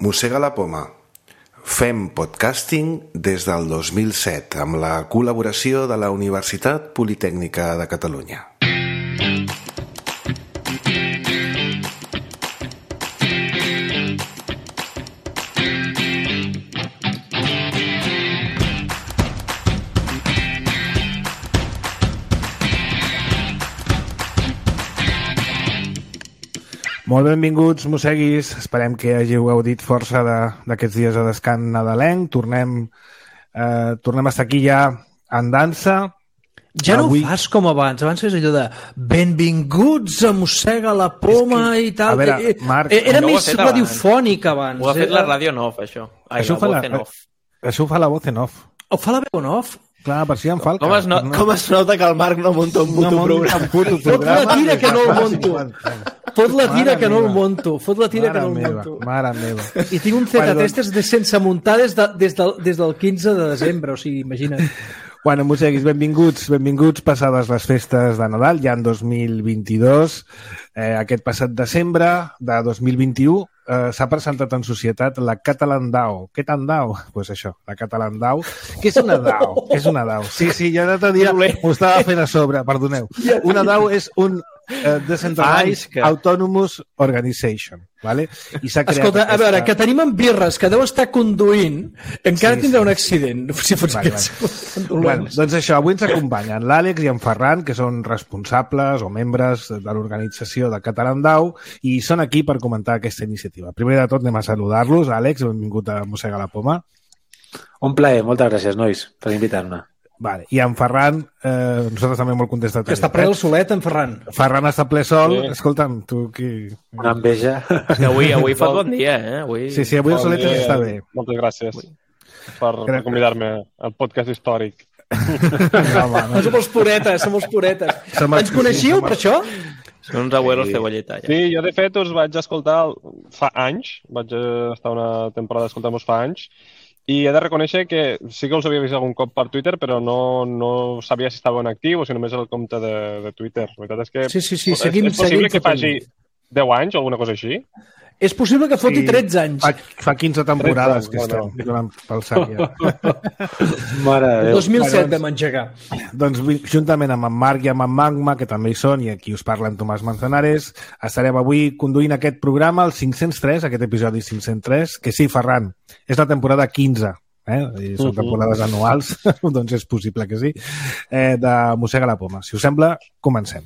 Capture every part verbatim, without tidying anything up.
Mossega la poma. Fem podcasting des del dos mil set amb la col·laboració de la Universitat Politècnica de Catalunya. Molt benvinguts, mosseguis. Esperem que hàgiu gaudit força d'aquests dies de descans nadalenc. Tornem, eh, tornem a estar aquí ja en dansa. Ja Avui... no ho fas com abans. Abans fes allò de benvinguts a Mossega la poma és que... i tal. A veure, Marc... Era no més radiofònic abans. Ho ha fet la ràdio en off, això. Ai, això, la fa voz la... en off. això ho fa la voz en off. Ho fa la veu en off? Clar, per si em falca. Com es, no... no... com es nota que el Marc no munta un puto no programa? Un puto Fot la tira que no el monto. Fot la tira Mare que no el meva. monto. Fot la tira Mare que no el meva, monto. mare meva. I tinc un Z-Testers de sense muntar des, de, des, del, des del quinze de desembre, o sigui, imagina't. Bueno, mosseguis, benvinguts, benvinguts passades les festes de Nadal, ja en dos mil vint-i-dos. Eh, aquest passat desembre de dos mil vint-i-u eh, s'ha presentat en societat la Catalan DAO. Què tan DAO? Doncs pues això, la Catalan DAO. Què és una DAO? Què és una DAO? Sí, sí, jo l'altre dia m'ho estava fent a sobre, perdoneu. Una DAO és un uh, Decentralized que... Autonomous Organization. Vale? I s'ha creat Escolta, aquesta... a veure, que tenim en Birres, que deu estar conduint, encara Sí, tindrà sí. un accident. Si fots Vale, aquests... Bueno, doncs això, avui ens acompanyen l'Àlex i en Ferran, que són responsables o membres de l'organització de Catalan DAO, i són aquí per comentar aquesta iniciativa. Primer de tot anem a saludar-los. Àlex, benvingut a Mossega la poma. Un plaer, moltes gràcies, nois, per invitar-me. Vale. I en Ferran, eh, nosaltres també molt contents de tenir. Que està ple el solet, en Ferran. Ferran està ple sol. Sí. Escolta'm, tu qui... Una enveja. Que avui, avui fot bon dia, eh? Avui... Sí, sí, avui el solet dia. està bé. Moltes gràcies per, per convidar-me al podcast històric. No, home, No som els puretes, som els puretes. Som els- Ens coneixíeu per això? Són uns abuelos sí. cebolleta, ja. Sí, jo de fet us vaig escoltar fa anys, vaig estar una temporada escoltant-vos fa anys, i he de reconèixer que sí que us havia vist algun cop per Twitter, però no, no sabia si estava en actiu o si només era el compte de, de Twitter. La veritat és que Sí, sí, sí, és, seguim- és possible seguim que faci fotent. deu anys o alguna cosa així? És possible que foti Sí. tretze anys. Fa, fa quinze temporades tretze, que estem bueno. donant pel sac ja. Mare de El Déu. dos mil set Bueno, vam engegar. Doncs vi- juntament amb en Marc i amb en Magma, que també hi són, i aquí us parla en Tomàs Manzanares, estarem avui conduint aquest programa, el cinc-cents tres, aquest episodi cinc-cents tres, que sí, Ferran, és la temporada quinze, eh? I són temporades anuals, doncs és possible que sí, eh, de Mossega la poma. Si us sembla, comencem.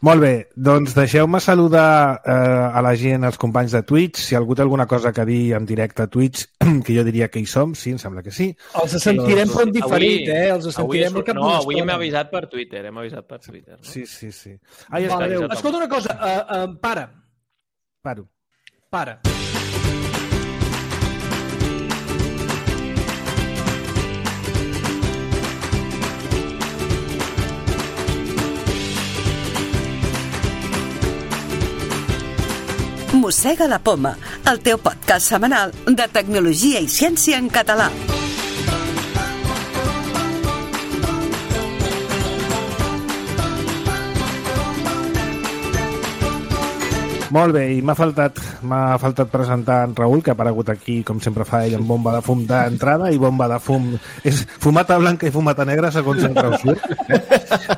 Molt bé, doncs deixeu-me saludar eh, a la gent, als companys de Twitch. Si algú té alguna cosa que dir en directe a Twitch, que jo diria que hi som, sí, em sembla que sí. Els sentirem però en diferit, eh? Els sentirem avui, al cap no, d'una avui hem estona. avisat per Twitter, hem avisat per Twitter. No? Sí, sí, sí. Ai, Mare espera, Déu. Escolta una cosa, uh, uh, para, paro. para. Mossega la poma, el teu podcast setmanal de tecnologia i ciència en català. Molt bé, i m'ha faltat, m'ha faltat presentar en Raül, que ha aparegut aquí, com sempre fa ell, amb bomba de fum d'entrada i bomba de fum... És fumata blanca i fumata negra, segons en Raül.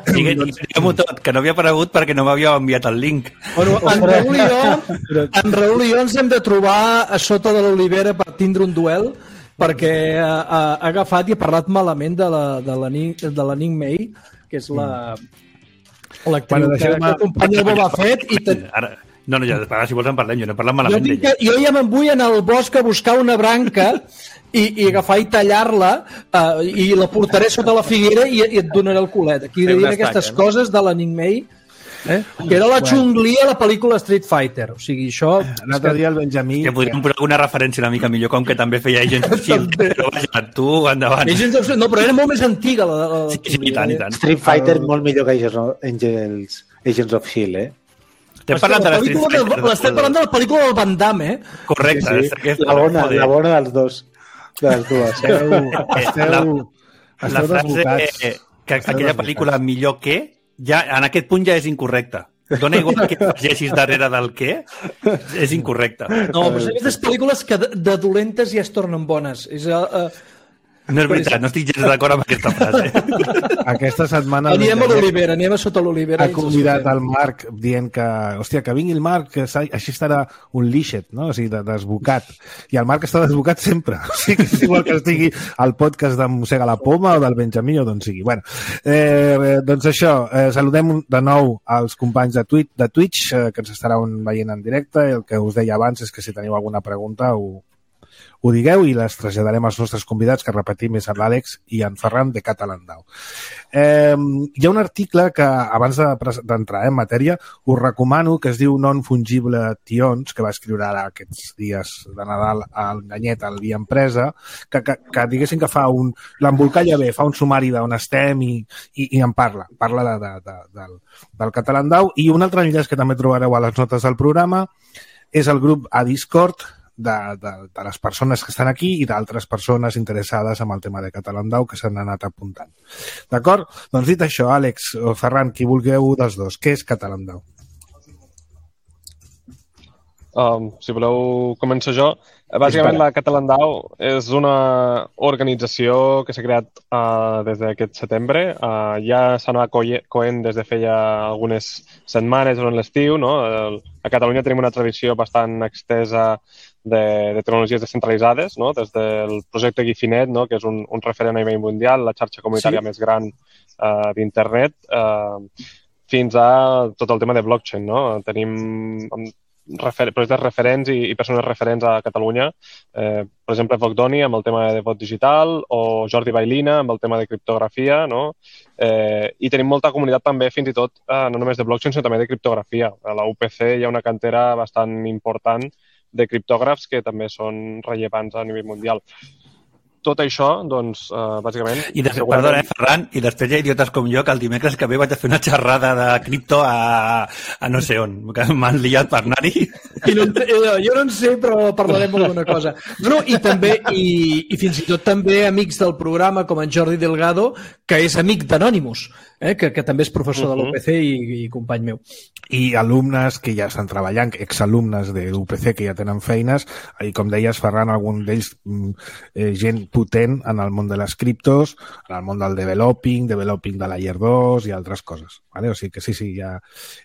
Diguem-ho tot, que no havia aparegut perquè no m'havia enviat el link. Bueno, en Raül i jo, en Raül i jo ens hem de trobar a sota de l'olivera per tindre un duel, perquè ha, ha agafat i ha parlat malament de la, de la, Ning, de la Ning May, que és la l'actriu Bueno, que, deixeu-me- que acompanya el Boba Fett i te, Ara, no, no, ja, ara, si vols en parlem, jo no he parlat jo, malament tinc que, d'ella. jo ja me'n vull anar al bosc a buscar una branca i, i agafar i tallar-la uh, i la portaré sota la figuera i, i et donaré el culet. Aquí Fer diré una aquestes estaca, no? coses de la Ning May, eh? que era la Chun-Li a la pel·lícula Street Fighter. O sigui, això... L'altre dia el Benjamí... Que podríem posar alguna referència una mica millor, com que també feia Agents of Shield. Però vaja, tu, endavant. Agents of... No, però era molt més antiga la, la, la Sí, sí, i tant, i tant. Street Fighter molt millor que Agents of, Angels, Agents of Shield, eh? Estem parlant de la Street pel·lícula Fighter. de- L'estem parlant de la pel·lícula del Van Damme, eh? Correcte. Sí, és que- la bona, joder. la bona dels dos. De les dues. Esteu, La, esteu, la esteu frase desbocats. eh, que Esteu aquella desbocats. pel·lícula millor que, ja en aquest punt ja és incorrecta. Dona igual que llegis darrere del què, és incorrecte. No, però són aquestes pel·lícules que de, de dolentes ja es tornen bones. És... Uh, No és veritat, no estic gens d'acord amb aquesta frase. Aquesta setmana... Anem a l'Olivera, anem a sota l'Olivera. Ha convidat el Marc dient que, hòstia, que vingui el Marc, que així estarà un lixet, no? O sigui, desbocat. I el Marc està desbocat sempre. O sigui, és igual que estigui al podcast de Mossega la Poma o del Benjamí o d'on sigui. Bueno, eh, doncs això, eh, saludem de nou als companys de, Twitch, de Twitch, eh, que ens estaran veient en directe, i el que us deia abans és que si teniu alguna pregunta ho, ho digueu i les traslladarem als nostres convidats, que repetim és l'Àlex i en Ferran de Catalandau. Eh, hi ha un article que, abans d'entrar en matèria, us recomano, que es diu Non-Fungible Tions, que va escriure ara aquests dies de Nadal al Ganyet, al Via Empresa, que, que, que diguéssim que fa un... l'embolcalla bé, fa un sumari d'on estem i, i, i en parla. Parla de, de, de, del, del Catalandau. I un altre enllaç que també trobareu a les notes del programa és el grup a Discord, De, de, de les persones que estan aquí i d'altres persones interessades amb el tema de Catalandau que s'han anat apuntant. D'acord? Doncs dit això, Àlex o Ferran, qui vulgueu dels dos, què és Catalandau? Um, si voleu, començo jo. Bàsicament, la Catalandau és una organització que s'ha creat uh, des d'aquest setembre. Uh, ja s'anava coent des de feia algunes setmanes durant l'estiu, no? A Catalunya tenim una tradició bastant extesa de, de tecnologies descentralitzades, no? Des del projecte Guifinet, no? Que és un, un referent a nivell mundial, la xarxa comunitària sí. més gran uh, d'internet, uh, fins a tot el tema de blockchain, no? Tenim refer projectes referents i, i persones referents a Catalunya. Eh, per exemple, Vocdoni amb el tema de vot digital o Jordi Bailina amb el tema de criptografia, no? Eh, I tenim molta comunitat també, fins i tot, eh, no només de blockchain, sinó també de criptografia. A la U P C hi ha una cantera bastant important de criptògrafs que també són rellevants a nivell mundial. Tot això, doncs, uh, bàsicament... I de, segurament... Perdona, eh, Ferran, i després hi ha idiotes com jo que el dimecres que ve vaig a fer una xerrada de cripto a, a no sé on, que m'han liat per anar-hi. No, jo no en sé, però parlarem alguna cosa. No, no, i també, i, i fins i tot també amics del programa, com en Jordi Delgado, que és amic d'Anonymous, eh, que, que també és professor uh -huh. de l'U P C i, i company meu. I alumnes que ja estan treballant, exalumnes de l'U P C que ja tenen feines, i com deies, Ferran, algun d'ells eh, gent potent en el món de les criptos, en el món del developing, developing de layer dos i altres coses. Vale? O sigui que sí, sí, ja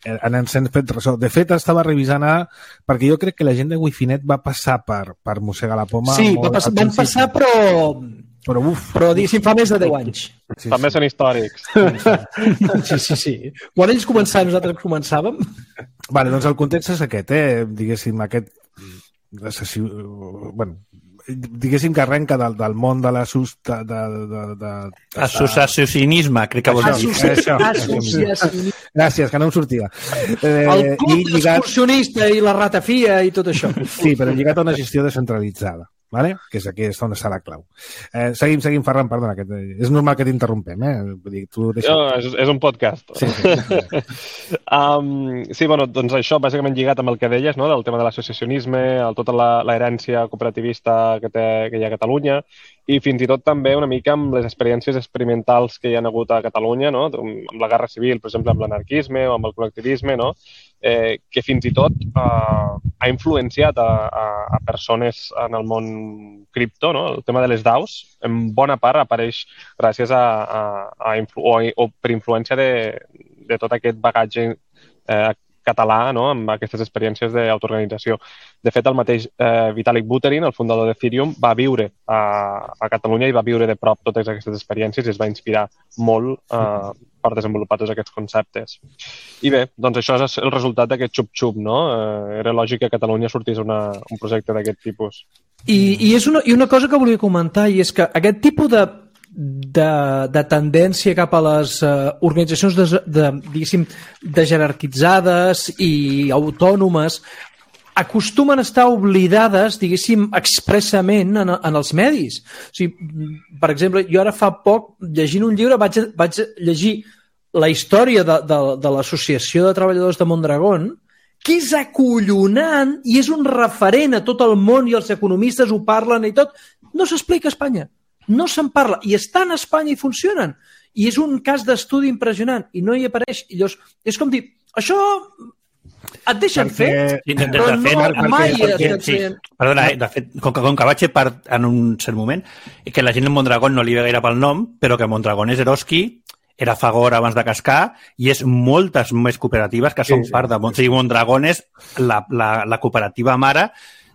ens hem fet ressò. De fet, estava revisant ara, perquè jo crec que la gent de Wifinet va passar per, per Mossegar la Poma. Sí, va passar, van passar, però... Però, uf, però diguéssim, fa més de deu anys. Sí, també sí. Són històrics. Sí, sí, sí. Quan ells començaven, nosaltres començàvem. Vale, doncs el context és aquest, eh? Diguéssim, aquest... Bueno, diguéssim que arrenca del, del món de l'assust... De, de, de, de, Associacionisme, crec que vols dir. Associacionisme. Gràcies, que no em sortia. Eh, el club i l'excursionista lligat... i la ratafia i tot això. Sí, però lligat a una gestió descentralitzada. Vale? Que és aquí on està la clau. Eh, seguim, seguim, Ferran, perdona, que és normal que t'interrompem, eh? Vull dir, tu deixa... no, és, és un podcast. Sí, sí. um, sí, bueno, doncs això, bàsicament lligat amb el que deies, no?, del tema de l'associacionisme, tota l'herència cooperativista que, té, que hi ha a Catalunya, i fins i tot també una mica amb les experiències experimentals que hi ha hagut a Catalunya, no?, amb la guerra civil, per exemple, amb l'anarquisme o amb el col·lectivisme, no?, eh, que fins i tot eh, ha influenciat a, a, a persones en el món cripto, no? El tema de les DAOs, en bona part apareix gràcies a, a, a influ o, o per influència de, de tot aquest bagatge eh, català, no?, amb aquestes experiències d'autoorganització. De fet, el mateix eh, Vitalik Buterin, el fundador d'Ethereum, va viure a, a Catalunya i va viure de prop totes aquestes experiències i es va inspirar molt eh, per desenvolupar tots aquests conceptes. I bé, doncs això és el resultat d'aquest xup-xup, no? Eh, era lògic que a Catalunya sortís una, un projecte d'aquest tipus. I, i, és una, I una cosa que volia comentar, i és que aquest tipus de De, de tendència cap a les uh, organitzacions de, de, diguéssim, de jerarquitzades i autònomes acostumen a estar oblidades, diguéssim, expressament en, en els medis. O sigui, per exemple, jo ara fa poc, llegint un llibre, vaig, vaig llegir la història de, de, de l'Associació de Treballadors de Mondragón, que és acollonant i és un referent a tot el món i els economistes ho parlen i tot. No s'explica a Espanya. No se'n parla, i estan a Espanya i funcionen. I és un cas d'estudi impressionant, i no hi apareix. I llavors, és com dir, això et deixen Perquè- fer, Sí, de, de, però de fet, no, perquè- mai perquè- et sí, feien... perdona, eh, de fet, com que, com que vaig ser part en un cert moment, i que la gent de Mondragón no li ve gaire pel nom, però que Mondragón és Eroski, era Fagor abans de Cascar, i és moltes més cooperatives que són Sí, sí. part de... O sigui, Mondragón és la, la, la cooperativa mare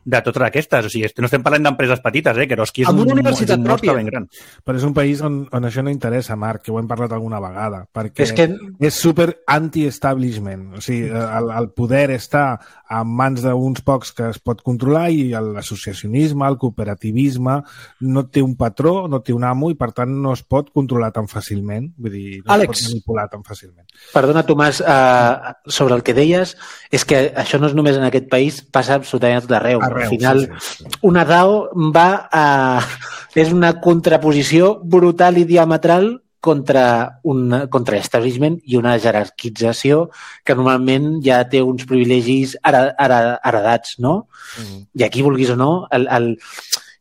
de totes aquestes. O sigui, no estem parlant d'empreses petites, eh? Que Eroski és Amb un, una universitat és un monstre pròpia. ben gran. Però és un país on, on això no interessa, Marc, que ho hem parlat alguna vegada, perquè És que és super anti-establishment. O sigui, el, el poder està en mans d'uns pocs que es pot controlar i l'associacionisme, el cooperativisme, no té un patró, no té un amo i, per tant, no es pot controlar tan fàcilment. Vull dir, no Àlex. es pot manipular tan fàcilment. Perdona, Tomàs, eh, sobre el que deies, és que això no és només en aquest país, passa absolutament a tot arreu. Arreu, Al final, sí, sí, sí. una DAO va a... és una contraposició brutal i diametral contra, un, contra l'establishment i una jerarquització que normalment ja té uns privilegis ara, ara, heredats, no? Mm. I aquí, vulguis o no, el, el...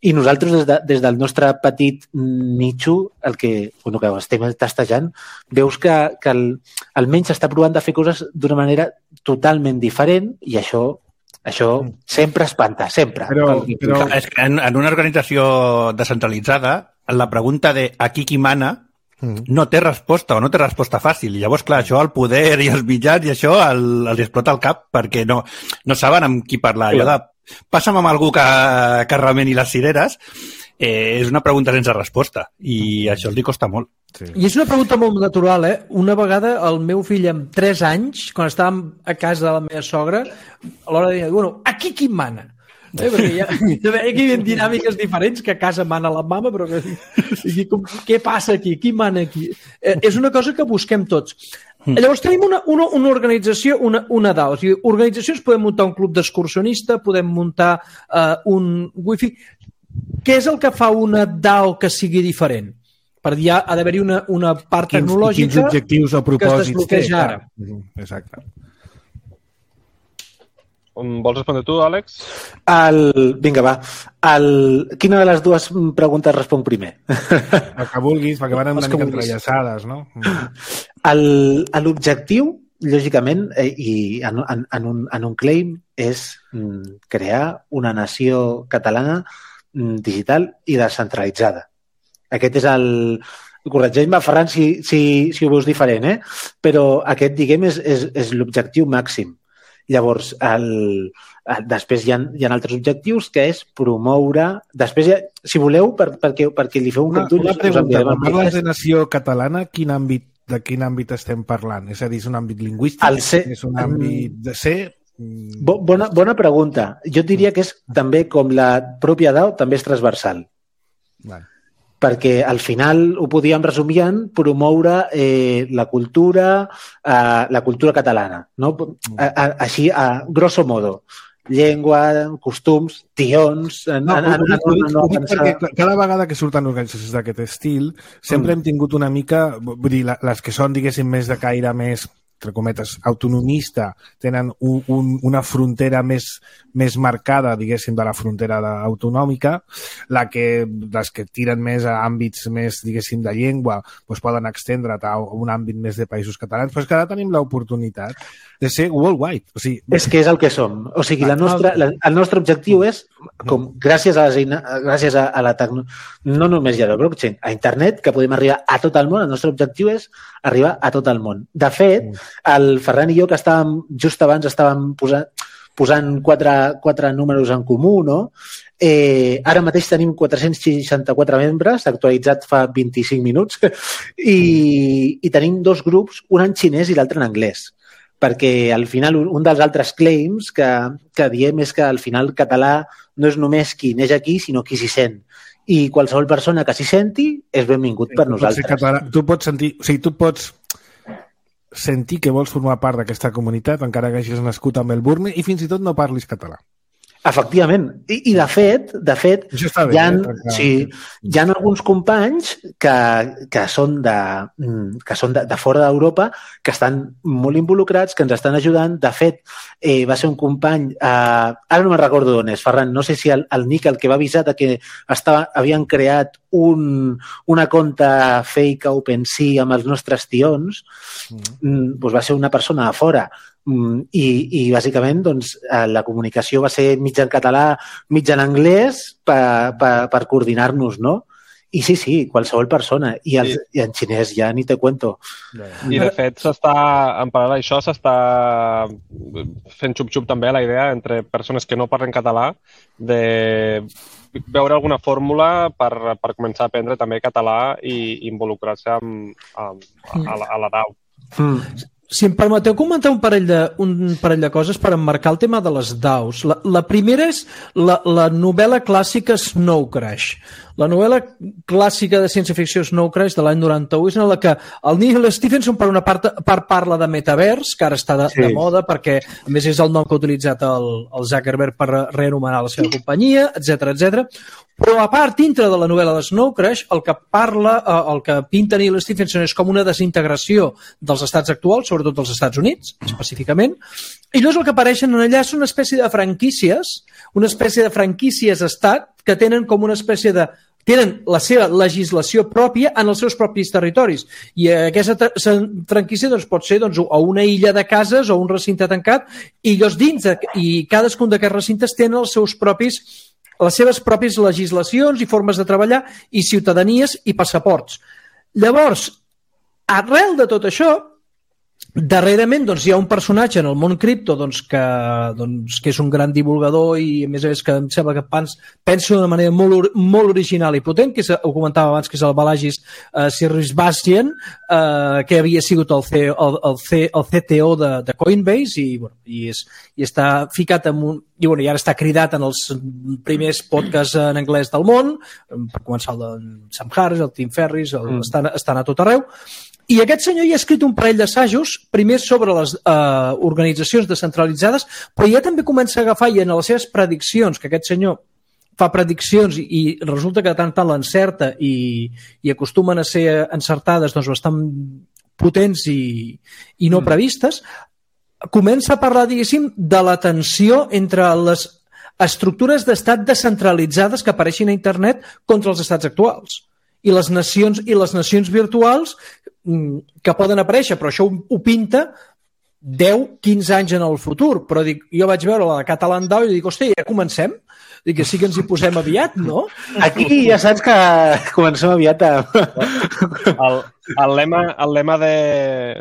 i nosaltres des, de, des del nostre petit nitxo, el que, bueno, que estem tastejant, veus que, que el, almenys s'està provant de fer coses d'una manera totalment diferent i això això sempre espanta, sempre. Però- però- És que en, en una organització descentralitzada, la pregunta de aquí qui mana Mm. no té resposta o no té resposta fàcil. I llavors, clar, això, el poder i els mitjans i això el, els explota el cap perquè no, no saben amb qui parlar. Allò de passa'm amb algú que, que remeni les cireres eh, és una pregunta sense resposta i això els li costa molt. Sí. I és una pregunta molt natural, eh? Una vegada el meu fill amb tres anys, quan estàvem a casa de la meva sogra, a l'hora de dir, bueno, aquí qui mana? Eh? Perquè hi ha, hi ha aquí dinàmiques diferents, que a casa mana la mama, però que, i com, què passa aquí? Qui mana aquí? Eh, és una cosa que busquem tots. Llavors tenim una, una, una organització, una, una DAO. O sigui, organitzacions, podem muntar un club d'excursionista, podem muntar uh, un wifi. Què és el que fa una DAO que sigui diferent? Per dir, ha d'haver-hi una, una part Quins, tecnològica quins objectius o que es propòsits desbloqueja té? ara. Mhm, exacte. Vols respondre tu, Àlex? El... Vinga, va. El... Quina de les dues preguntes responc primer? El que vulguis, perquè van Els una que mica vulguis. entrellaçades, no? El- L'objectiu, lògicament, eh, i en, en, en, un, en un claim, és mm, crear una nació catalana mm, digital i descentralitzada. Aquest és el... Corregeix-me, Ferran, si, si, si ho veus diferent, eh? Però aquest, diguem, és, és, és l'objectiu màxim. Llavors, el, el, després hi ha, hi ha altres objectius, que és promoure... Després, ja, si voleu, per, perquè, perquè li feu un Una, cop d'ulls, una us pregunta, enviarem quan el parles manifest. de nació catalana, quin àmbit, de quin àmbit estem parlant? És a dir, és un àmbit lingüístic? El ser- És un àmbit de ser? Mm, Bo- Bona, bona pregunta. Jo et diria que és també, com la pròpia DAO, també és transversal. Vale. Perquè al final ho podíem resumir en promoure eh, la cultura, eh, la cultura catalana. No? A, a, així, a grosso modo. Llengua, costums, tions... En, No, en, ho, en, dic, en, ho, dic, en, ho dic en, perquè cada vegada que surten organitzacions d'aquest estil sempre Mm. hem tingut una mica, vull dir, la- les que són, diguéssim, més de caire més, entre cometes, autonomista, tenen un, un, una frontera més, més marcada, diguéssim, de la frontera de, autonòmica, la que, les que tiren més a àmbits més, diguéssim, de llengua, doncs poden extendre't a un àmbit més de països catalans, però és que ara tenim l'oportunitat de ser worldwide. O sigui, És que és el que som. O sigui, la nostra, la, el nostre objectiu és, com gràcies a, les eina, gràcies a, a la tecnologia, no només ja a la blockchain, a internet, que podem arribar a tot el món, el nostre objectiu és arribar a tot el món. De fet, el Ferran i jo, que estàvem, just abans estàvem posant, posant quatre, quatre números en comú, no? Eh, ara mateix tenim quatre-cents seixanta-quatre membres, actualitzat fa vint-i-cinc minuts, i, i tenim dos grups, un en xinès i l'altre en anglès. Perquè al final un dels altres claims que, que diem és que al final el català no és només qui neix aquí, sinó qui s'hi sent. I qualsevol persona que s'hi senti és benvingut per tu pots ser nosaltres. català, tu pots sentir, o sigui, tu pots sentir que vols formar part d'aquesta comunitat encara que hagis nascut a Melbourne i fins i tot no parlis català. Efectivament. I, i de fet, de fet, Això està bé, hi ha, eh? sí, hi ha alguns companys que, que són, de, que són de, de fora d'Europa, que estan molt involucrats, que ens estan ajudant. De fet, eh, va ser un company, eh, ara no me'n recordo d'on és, Ferran, no sé si el, el Nick, el que va avisar de que estava, havien creat un, una conta fake a OpenSea amb els nostres tions, mm. doncs va ser una persona de fora. I, i bàsicament doncs, la comunicació va ser mig en català, mig en anglès per, per, per coordinar-nos, no? I sí, sí, qualsevol persona. I, els, sí. I en xinès ja ni te cuento. I de fet, s'està, en paral·lel a això, s'està fent xup-xup també la idea entre persones que no parlen català de veure alguna fórmula per, per començar a aprendre també català i involucrar-se amb, amb, a, la, a la D A U. Mm. Si em permeteu comentar un parell, de, un parell de coses per emmarcar el tema de les D A Us. La, la primera és la, la novel·la clàssica Snow Crash. La novel·la clàssica de ciència-ficció Snow Crash de l'any noranta-u és en la que el Neil Stephenson per una part, part parla de metavers, que ara està de, sí. de moda perquè a més és el nom que ha utilitzat el, el Zuckerberg per reanomenar la seva companyia, etcètera, etcètera. Però a part, dintre de la novel·la de Snow Crash, el que parla, el que pinta Neil Stephenson és com una desintegració dels estats actuals, sobretot dels Estats Units, específicament, i llavors el que apareixen allà és una espècie de franquícies, una espècie de franquícies estat que tenen com una espècie de tenen la seva legislació pròpia en els seus propis territoris. I aquesta franquícia doncs, pot ser doncs, o una illa de cases o un recinte tancat, i llavors dins de, i cadascun d'aquests recintes tenen els seus propis les seves pròpies legislacions i formes de treballar i ciutadanies i passaports. Llavors, arrel de tot això, darrerament doncs, hi ha un personatge en el món cripto doncs, que, doncs, que és un gran divulgador i a més a més que em sembla que pensa d'una manera molt, molt original i potent, que és, ho comentava abans, que és el Balagis uh, Sirisbastian, uh, que havia sigut el, C, el, el, C, el C T O de, de Coinbase i, bueno, i, és, i està ficat en un i, bueno, i ara està cridat en els primers podcasts en anglès del món, per començar el de Sam Harris, el Tim Ferriss, el, mm. estan, estan a tot arreu. I aquest senyor ja ha escrit un parell d'assajos, primer sobre les eh, organitzacions descentralitzades, però ja també comença a agafar i en les seves prediccions, que aquest senyor fa prediccions i, i resulta que de tant tant l'encerta i, i acostumen a ser encertades doncs, bastant potents i, i no previstes, comença a parlar, diguéssim, de la tensió entre les estructures d'estat descentralitzades que apareixen a internet contra els estats actuals. I les nacions, i les nacions virtuals que poden aparèixer, però això ho, ho pinta deu quinze anys en el futur. Però dic, jo vaig veure la Catalan D A O i dic, hòstia, ja comencem? Dic que sí que ens hi posem aviat, no? Aquí ja saps que comencem aviat a... El, el lema, el lema de,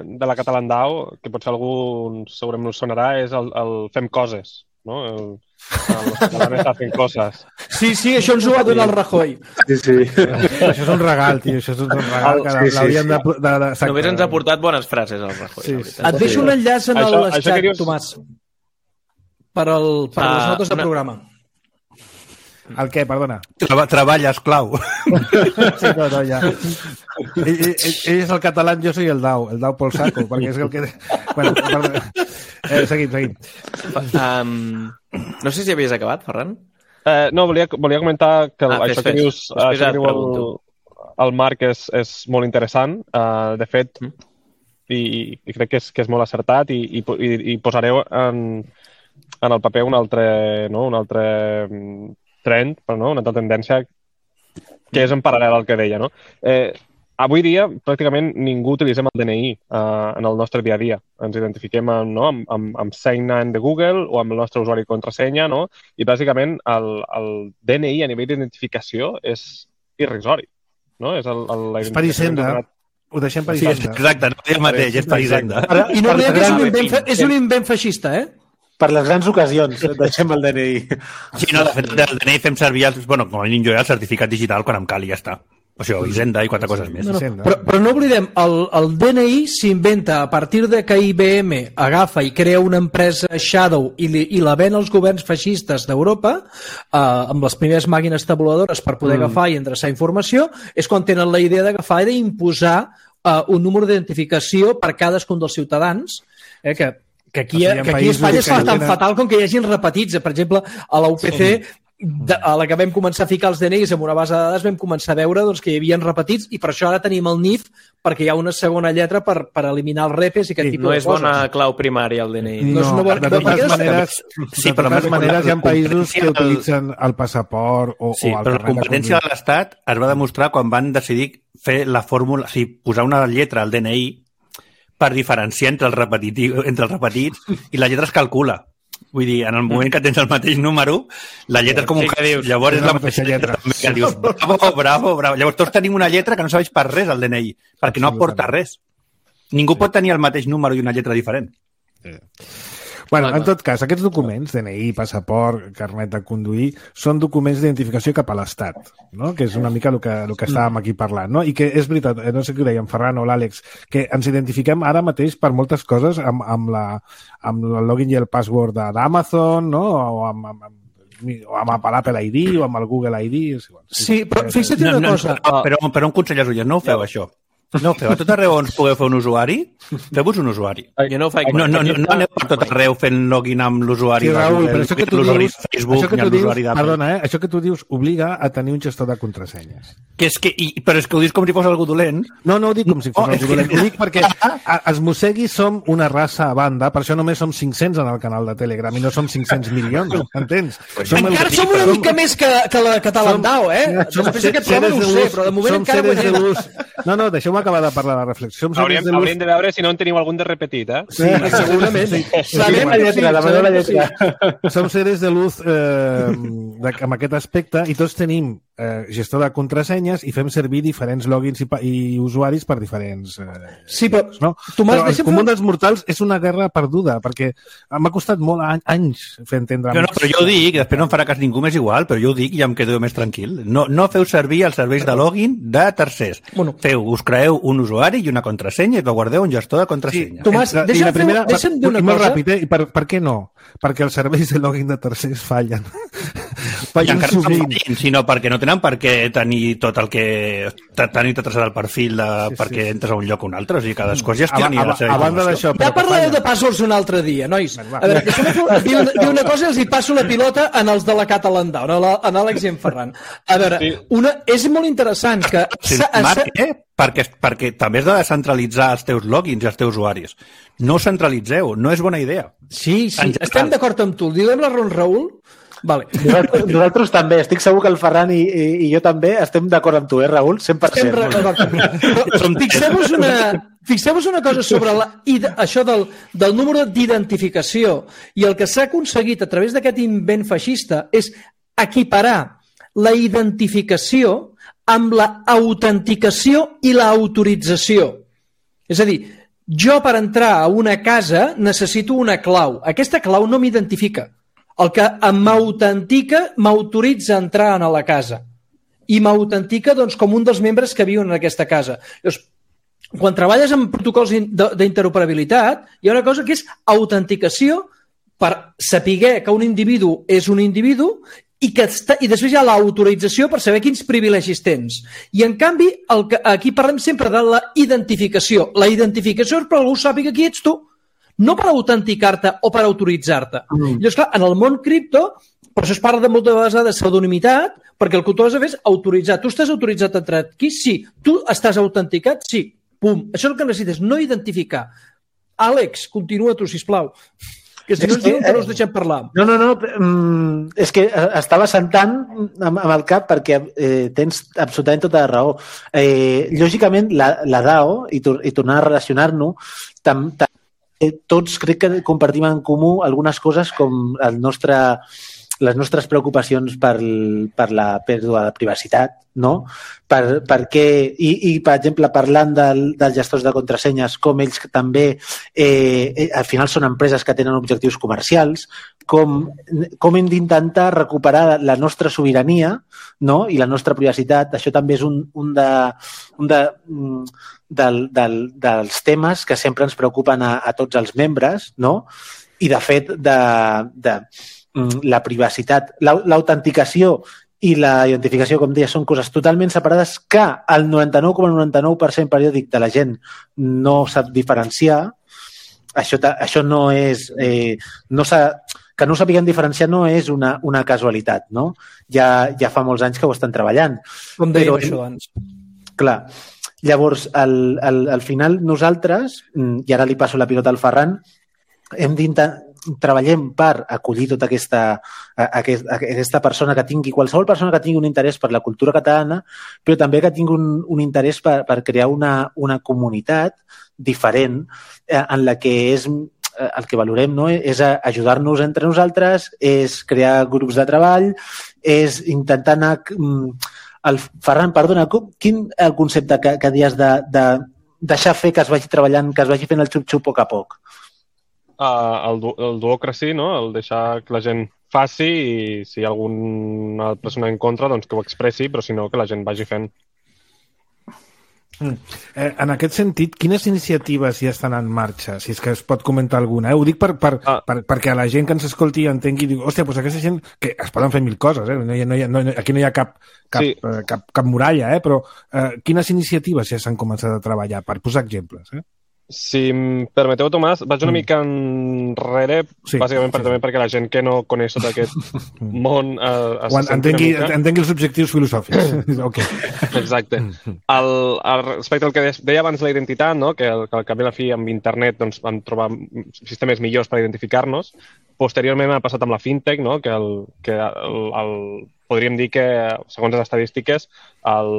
de la Catalan D A O, que potser algú segurament us sonarà, és el, el fem coses, no? El, els catalans estan fent coses. Sí, sí, això ens ho va donar el Rajoy. Sí, sí. Això és un regal, tio, això és un regal que sí, l'hauríem sí, sí. de... de, de Només ens ha portat bones frases, el Rajoy. Sí, sí. Et deixo un enllaç en això, el xat, dius... Tomàs, per, el, per ah, les notes del una... programa. El què, perdona? Treba, treballa, esclau. Sí, no, no, ja. Ell, ell, ell és el català, jo soy el D A O, el D A O pel saco, perquè és el que... Bueno, perdona. Eh, seguim, seguim. Um, no sé si havies acabat, Ferran. Eh, no, volia, volia comentar que ah, això, fes, que dius, fes. això que diu el, el Marc és, és molt interessant. Uh, de fet, mm. i, i crec que és, que és molt acertat i, i, i, i posareu en, en el paper un altre, no? un altre trend, però no? una altra tendència que és en paral·lel al que deia. No? Eh, Avui dia, pràcticament, ningú utilitzem el D N I uh, en el nostre dia a dia. Ens identifiquem amb, no, amb, amb, amb Sign In de Google o amb el nostre usuari i contrasenya, no? I, bàsicament, el, el D N I a nivell d'identificació és irrisori. No? És, el, el, és per Hisenda. Ho deixem per Hisenda. Sí, exacte, no és el mateix, és per Hisenda. I no és un invent, és un invent feixista, eh? Per les grans ocasions deixem el D N I. Sí, no, de fet, el D N I fem servir, el, bueno, com a mínim jo, el certificat digital quan em cal i ja està. O sigui, Hisenda i quatre coses més. No, no. Però, però no oblidem, el, el D N I s'inventa a partir de que I B M agafa i crea una empresa Shadow i, li, i la ven als governs feixistes d'Europa eh, amb les primeres màquines tabuladores per poder mm. agafar i endreçar informació, és quan tenen la idea d'agafar i d'imposar eh, un número d'identificació per cadascun dels ciutadans, eh, que Que aquí, que aquí a Espanya es fa tan tenen... fatal com que hi hagin repetits. Per exemple, a la U P C, de, a la que vam començar a ficar els D N Is amb una base de dades, vam començar a veure doncs, que hi havia repetits i per això ara tenim el N I F perquè hi ha una segona lletra per, per eliminar els repes i aquest sí, tipus no de coses. No és bona clau primària, el D N I. No, no, és una bona... de totes maneres, sí, de totes maneres hi ha països que utilitzen el passaport o, sí, o el però la competència de l'Estat es va demostrar quan van decidir fer la fórmula, o sigui, posar una lletra al D N I per diferenciar entre els, entre els repetits i la lletra es calcula. Vull dir, en el moment que tens el mateix número, la lletra és com un... Sí, dius, llavors és la mateixa lletra. Que dius, bravo, bravo, bravo. Llavors tots tenim una lletra que no serveix per res, el D N I, perquè no aporta res. Ningú pot tenir el mateix número i una lletra diferent. Sí. Bueno, en tot cas, aquests documents, D N I, passaport, carnet de conduir, són documents d'identificació cap a l'Estat, no? Que és una mica el que, el que estàvem aquí parlant, no? I que és veritat, no sé què ho deia en Ferran o l'Àlex, que ens identifiquem ara mateix per moltes coses amb, amb, la, amb el login i el password d'Amazon, no? O amb, amb, amb o amb l'Apple I D o amb el Google I D. Sí, però fixa't una no, no, cosa. No, però, però un consell als ullers, no ho feu, això. No, feu a tot arreu on pugueu fer un usuari, feu-vos un usuari. Jo no ho faig. No, no, no, no aneu per tot arreu fent login amb l'usuari. Sí, Raül, però això que tu dius, Facebook, això que tu dius, perdona, eh? Això que tu dius obliga a tenir un gestor de contrasenyes. Que és que, i, però és que ho dius com si fos algú dolent. No, no ho dic com si fos oh, algú dolent. Ho dic perquè a, els mosseguis som una raça a banda, per això només som cinc-cents en el canal de Telegram i no som cinc-cents milions, entens? Som encara el... som una mica som... més que, que la Catalandao, eh? Som, Després d'aquest programa no ho sé, però de moment encara guanyem. No, no, deixeu-me acabar de parlar de reflexió. Hauríem, de hauríem de veure si no en teniu algun de repetit, eh? Sí, segurament. Sí. Sí, sabem la lletra, la meva lletra. Som seres de luz eh, de, amb aquest aspecte i tots tenim eh, gestor de contrasenyes i fem servir diferents logins i, i usuaris per diferents... Eh, sí, però, no? Tomàs, però el comú dels mortals és una guerra perduda, perquè m'ha costat molt any, anys fer entendre... No, no, però jo ho dic, després no em farà cas ningú més igual, però jo ho dic i ja em quedo més tranquil. No, no feu servir els serveis de login de tercers. Bueno. Feu, us creeu un usuari i una contrasenya i que guardeu un gestor de contrasenya. Sí, Tomàs, la, deixa'm, la primera, fer, deixa'm dir una cosa. Ràpid, eh? I per, per què no? Perquè els serveis de login de tercers fallen. fallen I sovint. No fallen, sinó perquè no tenen per què tenir tot el que... tenir tot el perfil de, sí, perquè sí. entres a un lloc o un altre. O sigui, cadascú es gestioni a, a, la seva a banda d'això... Ja parlareu de passwords un altre dia, nois. A veure, dir, una, dir una cosa i els hi passo la pilota en els de la Catalandao, en Àlex i en Ferran. A veure, sí. una, és molt interessant que... Sí, Marc, eh? Perquè, perquè també has de descentralitzar els teus logins i els teus usuaris. No centralitzeu, no és bona idea. Sí, sí, estem d'acord amb tu. Diguem la raó, Raül? Vale. Nosaltres, nosaltres també, estic segur que el Ferran i, i, i jo també estem d'acord amb tu, eh, Raül? cent per cent. Fixeu-vos una, fixeu-vos una cosa sobre la, això del, del número d'identificació i el que s'ha aconseguit a través d'aquest invent feixista és equiparar la identificació amb la autenticació i l'autorització. És a dir, jo per entrar a una casa necessito una clau. Aquesta clau no m'identifica. El que m'autentica m'autoritza a entrar a la casa. I m'autentica doncs, com un dels membres que viuen en aquesta casa. Llavors, quan treballes amb protocols d'interoperabilitat, hi ha una cosa que és autenticació per saber que un individu és un individu i, que està, i després hi ha l'autorització per saber quins privilegis tens. I, en canvi, el que, aquí parlem sempre de la identificació. La identificació és per algú sàpiga qui ets tu, no per autenticar-te o per autoritzar-te. Mm. Llavors, clar, en el món cripto, per això es parla de moltes vegades de pseudonimitat, perquè el que tu has de fer és autoritzar. Tu estàs autoritzat a entrar aquí? Sí. Tu estàs autenticat? Sí. Pum. Això és el que necessites, no identificar. Àlex, continua tu, sisplau. Que si no ens diuen que no us deixem parlar. No, no, no. Mm, és que estava sentant amb, amb el cap perquè eh, tens absolutament tota la raó. Eh, lògicament, la, la D A O, i, tor i tornar a relacionar-nos, tam, tam, eh, tots crec que compartim en comú algunes coses com el nostre, les nostres preocupacions per, per la pèrdua de privacitat, no? Per, perquè, i, i, per exemple, parlant del, dels gestors de contrasenyes, com ells també, eh, al final són empreses que tenen objectius comercials, com, com hem d'intentar recuperar la nostra sobirania, no? I la nostra privacitat. Això també és un, un, de, un de, del, del, dels temes que sempre ens preocupen a, a tots els membres, no? I, de fet, de, de la privacitat, l'autenticació i la identificació, com deia, són coses totalment separades que el noranta-nou coma noranta-nou per cent periòdic de la gent no sap diferenciar això, això no és... Eh, no s'ha... Que no ho sapiguem diferenciar no és una, una casualitat, no? Ja, ja fa molts anys que ho estan treballant. Com dèiem això abans. Clar. Llavors, al, al, al final nosaltres, i ara li passo la pilota al Ferran, hem d'intentar treballem per acollir tota aquesta, aquest, aquesta persona que tingui, qualsevol persona que tingui un interès per la cultura catalana, però també que tingui un, un interès per, per crear una, una comunitat diferent eh, en la que és el que valorem, no? És ajudar-nos entre nosaltres, és crear grups de treball, és intentar anar... El Ferran, perdona, quin el concepte que, que dius de, de deixar fer que es vagi treballant, que es vagi fent el xup-xup a poc a poc? Uh, el, el duocracy, no? El deixar que la gent faci i si hi ha alguna persona en contra, doncs que ho expressi, però si no, que la gent vagi fent. Mm. Eh, en aquest sentit, quines iniciatives ja estan en marxa? Si és que es pot comentar alguna. Eh? Ho dic per, per, ah. per, perquè a la gent que ens escolti entengui, diu, hòstia, doncs aquesta gent, que es poden fer mil coses, eh? no hi ha, no hi ha, no, aquí no hi ha cap, cap, sí. eh, cap, cap muralla, eh? Però eh, quines iniciatives ja s'han començat a treballar? Per posar exemples, eh? Si em permeteu, Tomàs, vaig una mica enrere, sí, bàsicament sí, també sí. perquè la gent que no coneix tot aquest món eh, es entengui, entengui els objectius filosòfics. Okay. Exacte. El, el, respecte al que deia abans la identitat, no? que, el, que al cap i la fi amb internet doncs, vam trobar sistemes millors per identificar-nos, posteriorment ha passat amb la fintech, no? que, el, que el, el, podríem dir que, segons les estadístiques, el,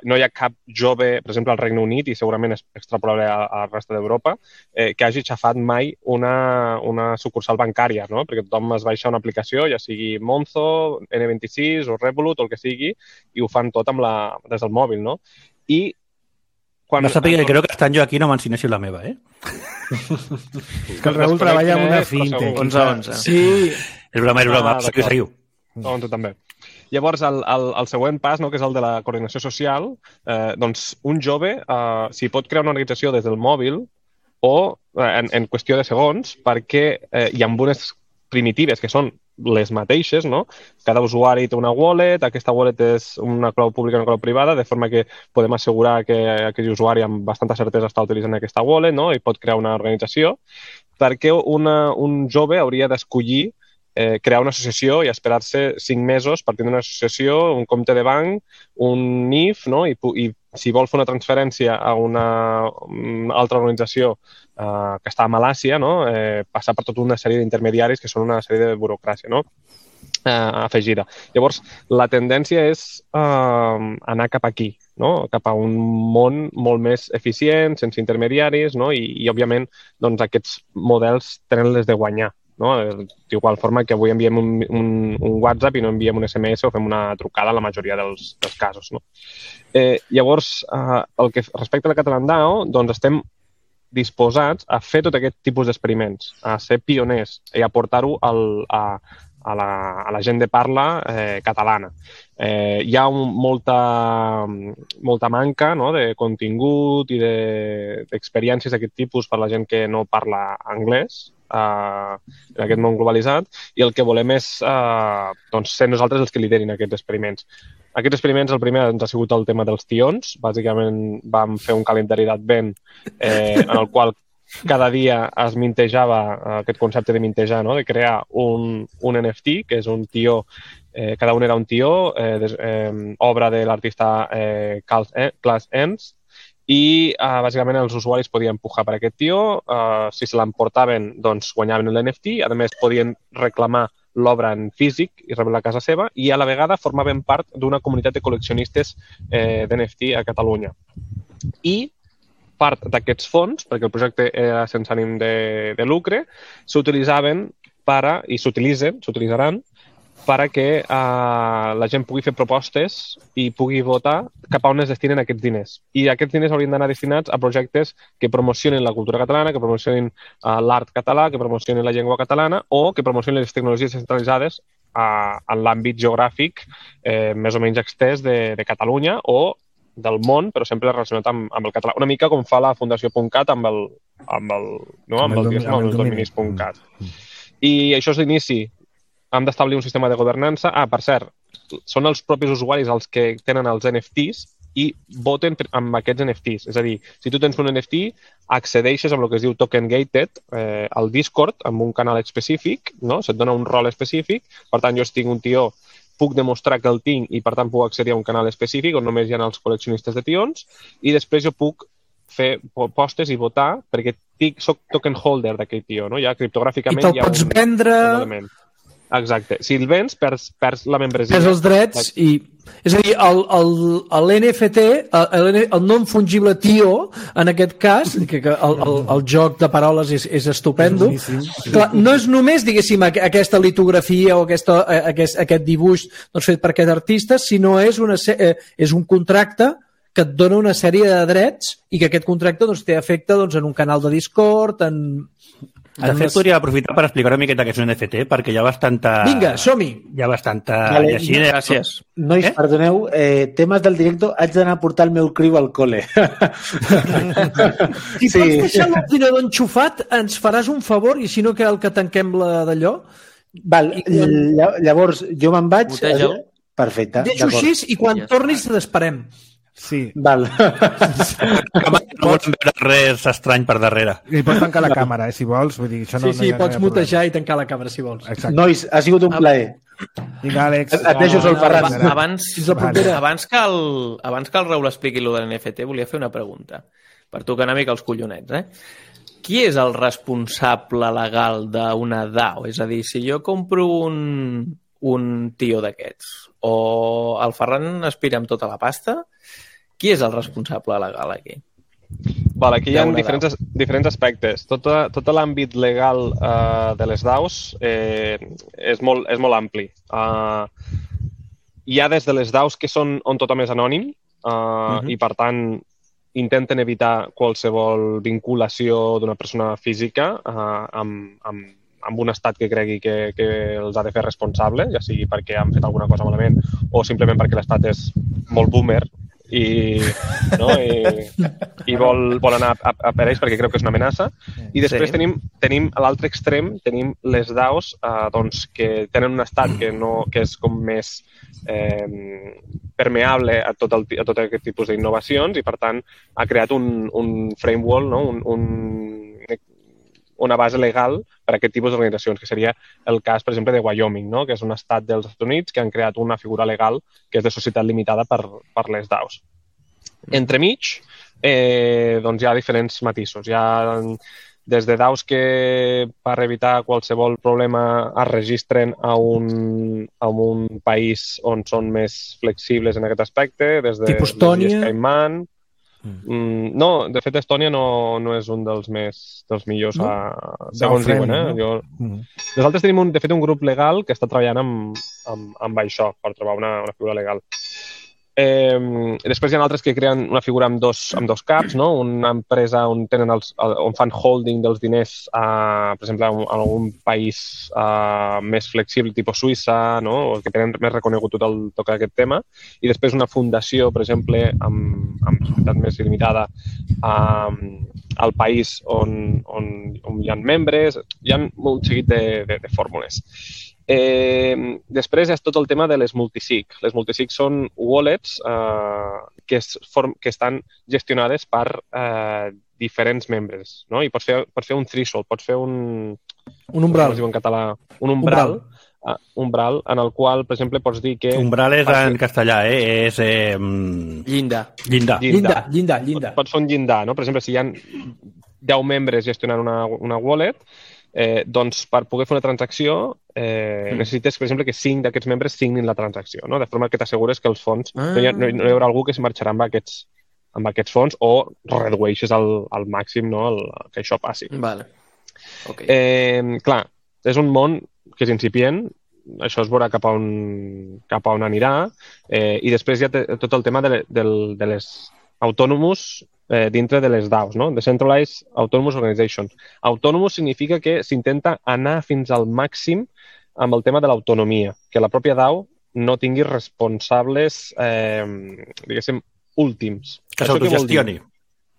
no hi ha cap jove, per exemple, al Regne Unit, i segurament és extrapolable al resta d'Europa, eh, que hagi xafat mai una, una sucursal bancària, no? Perquè tothom es baixa una aplicació, ja sigui Monzo, ene vint-i-sis o Revolut, o el que sigui, i ho fan tot amb la, des del mòbil, no? I quan... No sàpiga que crec que estan jo aquí no m'ensineixi la meva, eh? És que el Raül treballa amb una fintech. onze onze. Sí. És broma, és broma, seguiu, seguiu. On tu també. Llavors, el, el, el següent pas, no, que és el de la coordinació social, eh, doncs un jove eh, s'hi pot crear una organització des del mòbil o eh, en, en qüestió de segons, perquè eh, hi ha unes primitives que són les mateixes, no? Cada usuari té una wallet, aquesta wallet és una clau pública i una clau privada, de forma que podem assegurar que aquell usuari amb bastanta certesa està utilitzant aquesta wallet, no? I pot crear una organització, perquè una, un jove hauria d'escollir Eh, crear una associació i esperar-se cinc mesos per tenir una associació, un compte de banc, un N I F, no? I, i si vol fer una transferència a una, una altra organització eh, que està a Malàcia, no? eh, passar per tota una sèrie d'intermediaris que són una sèrie de burocràcia, no? eh, afegida. Llavors, la tendència és eh, anar cap aquí, no? Cap a un món molt més eficient, sense intermediaris, no? I, i òbviament, doncs, aquests models tenen les de guanyar. No? D'igual forma que avui enviem un, un, un WhatsApp i no enviem un esse eme esse o fem una trucada en la majoria dels, dels casos. No? Eh, llavors, eh, el que respecte a la Catalandao, doncs estem disposats a fer tot aquest tipus d'experiments, a ser pioners i a portar-ho al, a, a, la, a la gent de parla eh, catalana. Eh, hi ha un, molta, molta manca, no? De contingut i d'experiències de, d'aquest tipus per la gent que no parla anglès, Uh, en aquest món globalitzat, i el que volem és uh, doncs, ser nosaltres els que liderin aquests experiments. Aquests experiments, el primer ens ha sigut el tema dels tions. Bàsicament vam fer un calendari d'advent eh, en el qual cada dia es mintejava uh, aquest concepte de mintejar, no? De crear un, un ene efe te, que és un tió, eh, cada un era un tió, eh, des, eh, obra de l'artista eh, Klaas Ens, i uh, bàsicament els usuaris podien pujar per aquest tió, uh, si se l'emportaven doncs guanyaven l'ene efe te, a més podien reclamar l'obra en físic i rebre-la a casa seva, i a la vegada formaven part d'una comunitat de col·leccionistes eh, d'ene efe te a Catalunya. I part d'aquests fons, perquè el projecte era sense ànim de, de lucre, s'utilitzaven per a, i s'utilitzen, s'utilitzaran perquè eh, la gent pugui fer propostes i pugui votar cap a on es destinen aquests diners. I aquests diners haurien d'anar destinats a projectes que promocionin la cultura catalana, que promocionin eh, l'art català, que promocionin la llengua catalana o que promocionin les tecnologies centralitzades eh, en l'àmbit geogràfic eh, més o menys extès de, de Catalunya o del món, però sempre relacionat amb, amb el català. Una mica com fa la Fundació .cat amb el, amb el, no? amb el, el, amb el dominis .cat. I això és l'inici. Hem d'establir un sistema de governança. Ah, per cert, són els propis usuaris els que tenen els ene efe tes i voten amb aquests N F Ts. És a dir, si tu tens un N F T, accedeixes amb el que es diu token gated eh, al Discord amb un canal específic, no? Se't dona un rol específic. Per tant, jo si tinc un tió, puc demostrar que el tinc i, per tant, puc accedir a un canal específic on només hi ha els col·leccionistes de tions i després jo puc fer postes i votar perquè tinc, soc token holder d'aquell tio, no? Ja criptogràficament I te'l pots un, vendre... un element. Exacte. Si el vens, perds, perds la membresia. Perds els drets i... És a dir, l'N F T, el, el non fungible tio, en aquest cas, que el, el, el joc de paroles és, és estupendo, clar, no és només, diguéssim, aquesta litografia o aquesta, aquest, aquest dibuix doncs, fet per aquest artista, sinó és, una, és un contracte que et dona una sèrie de drets i que aquest contracte doncs, té efecte doncs, en un canal de Discord, en... De fet, podria aprofitar per explicar una miqueta què és un N F T, perquè hi ha bastanta... Vinga, som-hi! Hi ha bastanta... Vale, I així... Gràcies. Nois, eh? Perdoneu, eh, temes del directe, haig d'anar a portar el meu criu al col·le. Si sí. Pots deixar l'ordinador enxufat, ens faràs un favor i si no cal que tanquem la d'allò. Val, I... llavors jo me'n vaig... Boteja'l. Perfecte, deixo així i quan ja tornis t'esperem. Sí. Val. No volen veure res estrany per darrere. I pots tancar la càmera, eh, si vols. Vull dir, això no, sí, sí, no ha, pots no mutejar i tancar la càmera, si vols. Exacte. Nois, ha sigut un plaer. Vinga, Àlex. Et, et deixo sol Ferran. Abans, abans, que el, abans que el Raül expliqui allò de l'N F T, volia fer una pregunta. Per tocar una mica els collonets, eh? Qui és el responsable legal d'una DAO? És a dir, si jo compro un, un tio d'aquests o el Ferran aspira amb tota la pasta, qui és el responsable legal aquí? Vale, aquí hi ha diferents, diferents aspectes. Tot, tot l'àmbit legal uh, de les DAOs eh, és, molt, és molt ampli. Uh, hi ha des de les DAOs que són on tothom és anònim uh, uh-huh. i, per tant, intenten evitar qualsevol vinculació d'una persona física uh, amb, amb, amb un estat que cregui que, que els ha de fer responsable, ja sigui perquè han fet alguna cosa malament o simplement perquè l'estat és molt boomer i, no? I, i vol, vol anar a, a per ells perquè creu que és una amenaça. I després sí. tenim, tenim a l'altre extrem tenim les DAOs eh, doncs, que tenen un estat que, no, que és com més eh, permeable a tot, el, a tot aquest tipus d'innovacions i, per tant, ha creat un, un framework, no? un, un, una base legal per a aquest tipus d'organitzacions, que seria el cas, per exemple, de Wyoming, no? Que és un estat dels Estats Units que han creat una figura legal que és de societat limitada per, per les DAOs. Entremig, eh, doncs hi ha diferents matisos. Hi ha des de DAOs que per evitar qualsevol problema es registren a un, a un país on són més flexibles en aquest aspecte, des de tipus Estònia. Cayman. Mm, no, de fet Estònia no, no és un dels més dels millors no? a, segons diuen, eh? No? Jo... Mm. Nosaltres tenim un, de fet un grup legal que està treballant amb, amb, amb això per trobar una, una figura legal. Eh, després hi ha altres que creen una figura amb dos, amb dos caps, no? Una empresa on, tenen els, on fan holding dels diners, a, per exemple, en algun país a, més flexible, tipus Suïssa, no? O que tenen més reconegut tot el toc d'aquest tema. I després una fundació, per exemple, amb, amb societat més limitada a, al país on, on, on hi ha membres. Hi ha un seguit de, de, de fórmules. Eh, després és tot el tema de les multisig. Les multisig són wallets eh, que, es form, que estan gestionades per eh, diferents membres, no? I pots fer, pots fer un threshold, pots fer un... Un umbral. Com es diu en català? Un umbral. umbral. Uh, umbral, en el qual, per exemple, pots dir que... Umbral és en castellà, eh? És... Eh... Llinda. Llinda. Llinda, llinda, llinda. Pots fer un llindar, no? Per exemple, si hi ha deu membres gestionant una, una wallet, Eh, doncs per poder fer una transacció eh, mm. necessites, per exemple, que cinc d'aquests membres signin la transacció, no? De forma que t'assegures que els fons ah. no, hi ha, no, no hi haurà algú que es marxarà amb aquests, amb aquests fons o redueixes al, al màxim, no? El, que això passi. Vale. Okay. Eh, clar, és un món que és incipient, això es veurà cap a on, cap a on anirà eh, i després hi ha tot el tema de, de, de les autònomos eh, dintre de les DAOs, no? Decentralized Autonomous Organization. Autonomous significa que s'intenta anar fins al màxim amb el tema de l'autonomia, que la pròpia DAO no tingui responsables, eh, diguéssim, últims. Que s'autogestioni.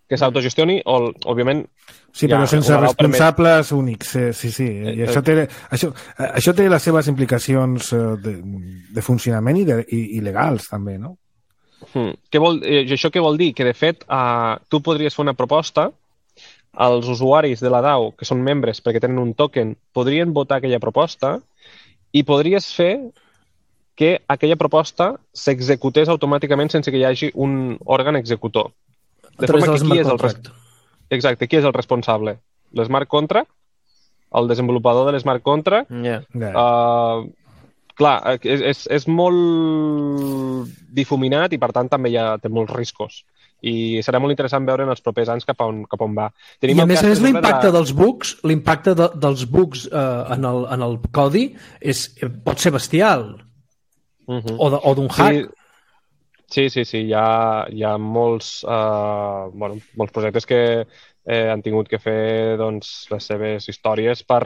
Que s'autogestioni, o, òbviament... Sí, però ja, sense responsables permet... únics. Eh, sí, sí. I això, té, això, això té les seves implicacions de, de funcionament i, de, i, i legals, també, no? Hmm. Què vol, eh, això què vol dir? Que, de fet, eh, tu podries fer una proposta, els usuaris de la DAO, que són membres perquè tenen un token, podrien votar aquella proposta i podries fer que aquella proposta s'executés automàticament sense que hi hagi un òrgan executor. De forma que qui és el res... Exacte, qui és el responsable? L'smart contract? El desenvolupador de l'smart contract? Yeah. Uh, clar, és, és, és molt difuminat i, per tant, també ja té molts riscos. I serà molt interessant veure en els propers anys cap a on, cap a on va. Tenim I a més a més l'impacte de... dels bugs, l'impacte de, dels bugs eh, en, el, en el codi és, pot ser bestial. Uh-huh. O d'un hack. Sí, sí, sí, sí. Hi ha, hi ha molts, uh, bueno, molts projectes que eh, han tingut que fer doncs, les seves històries per,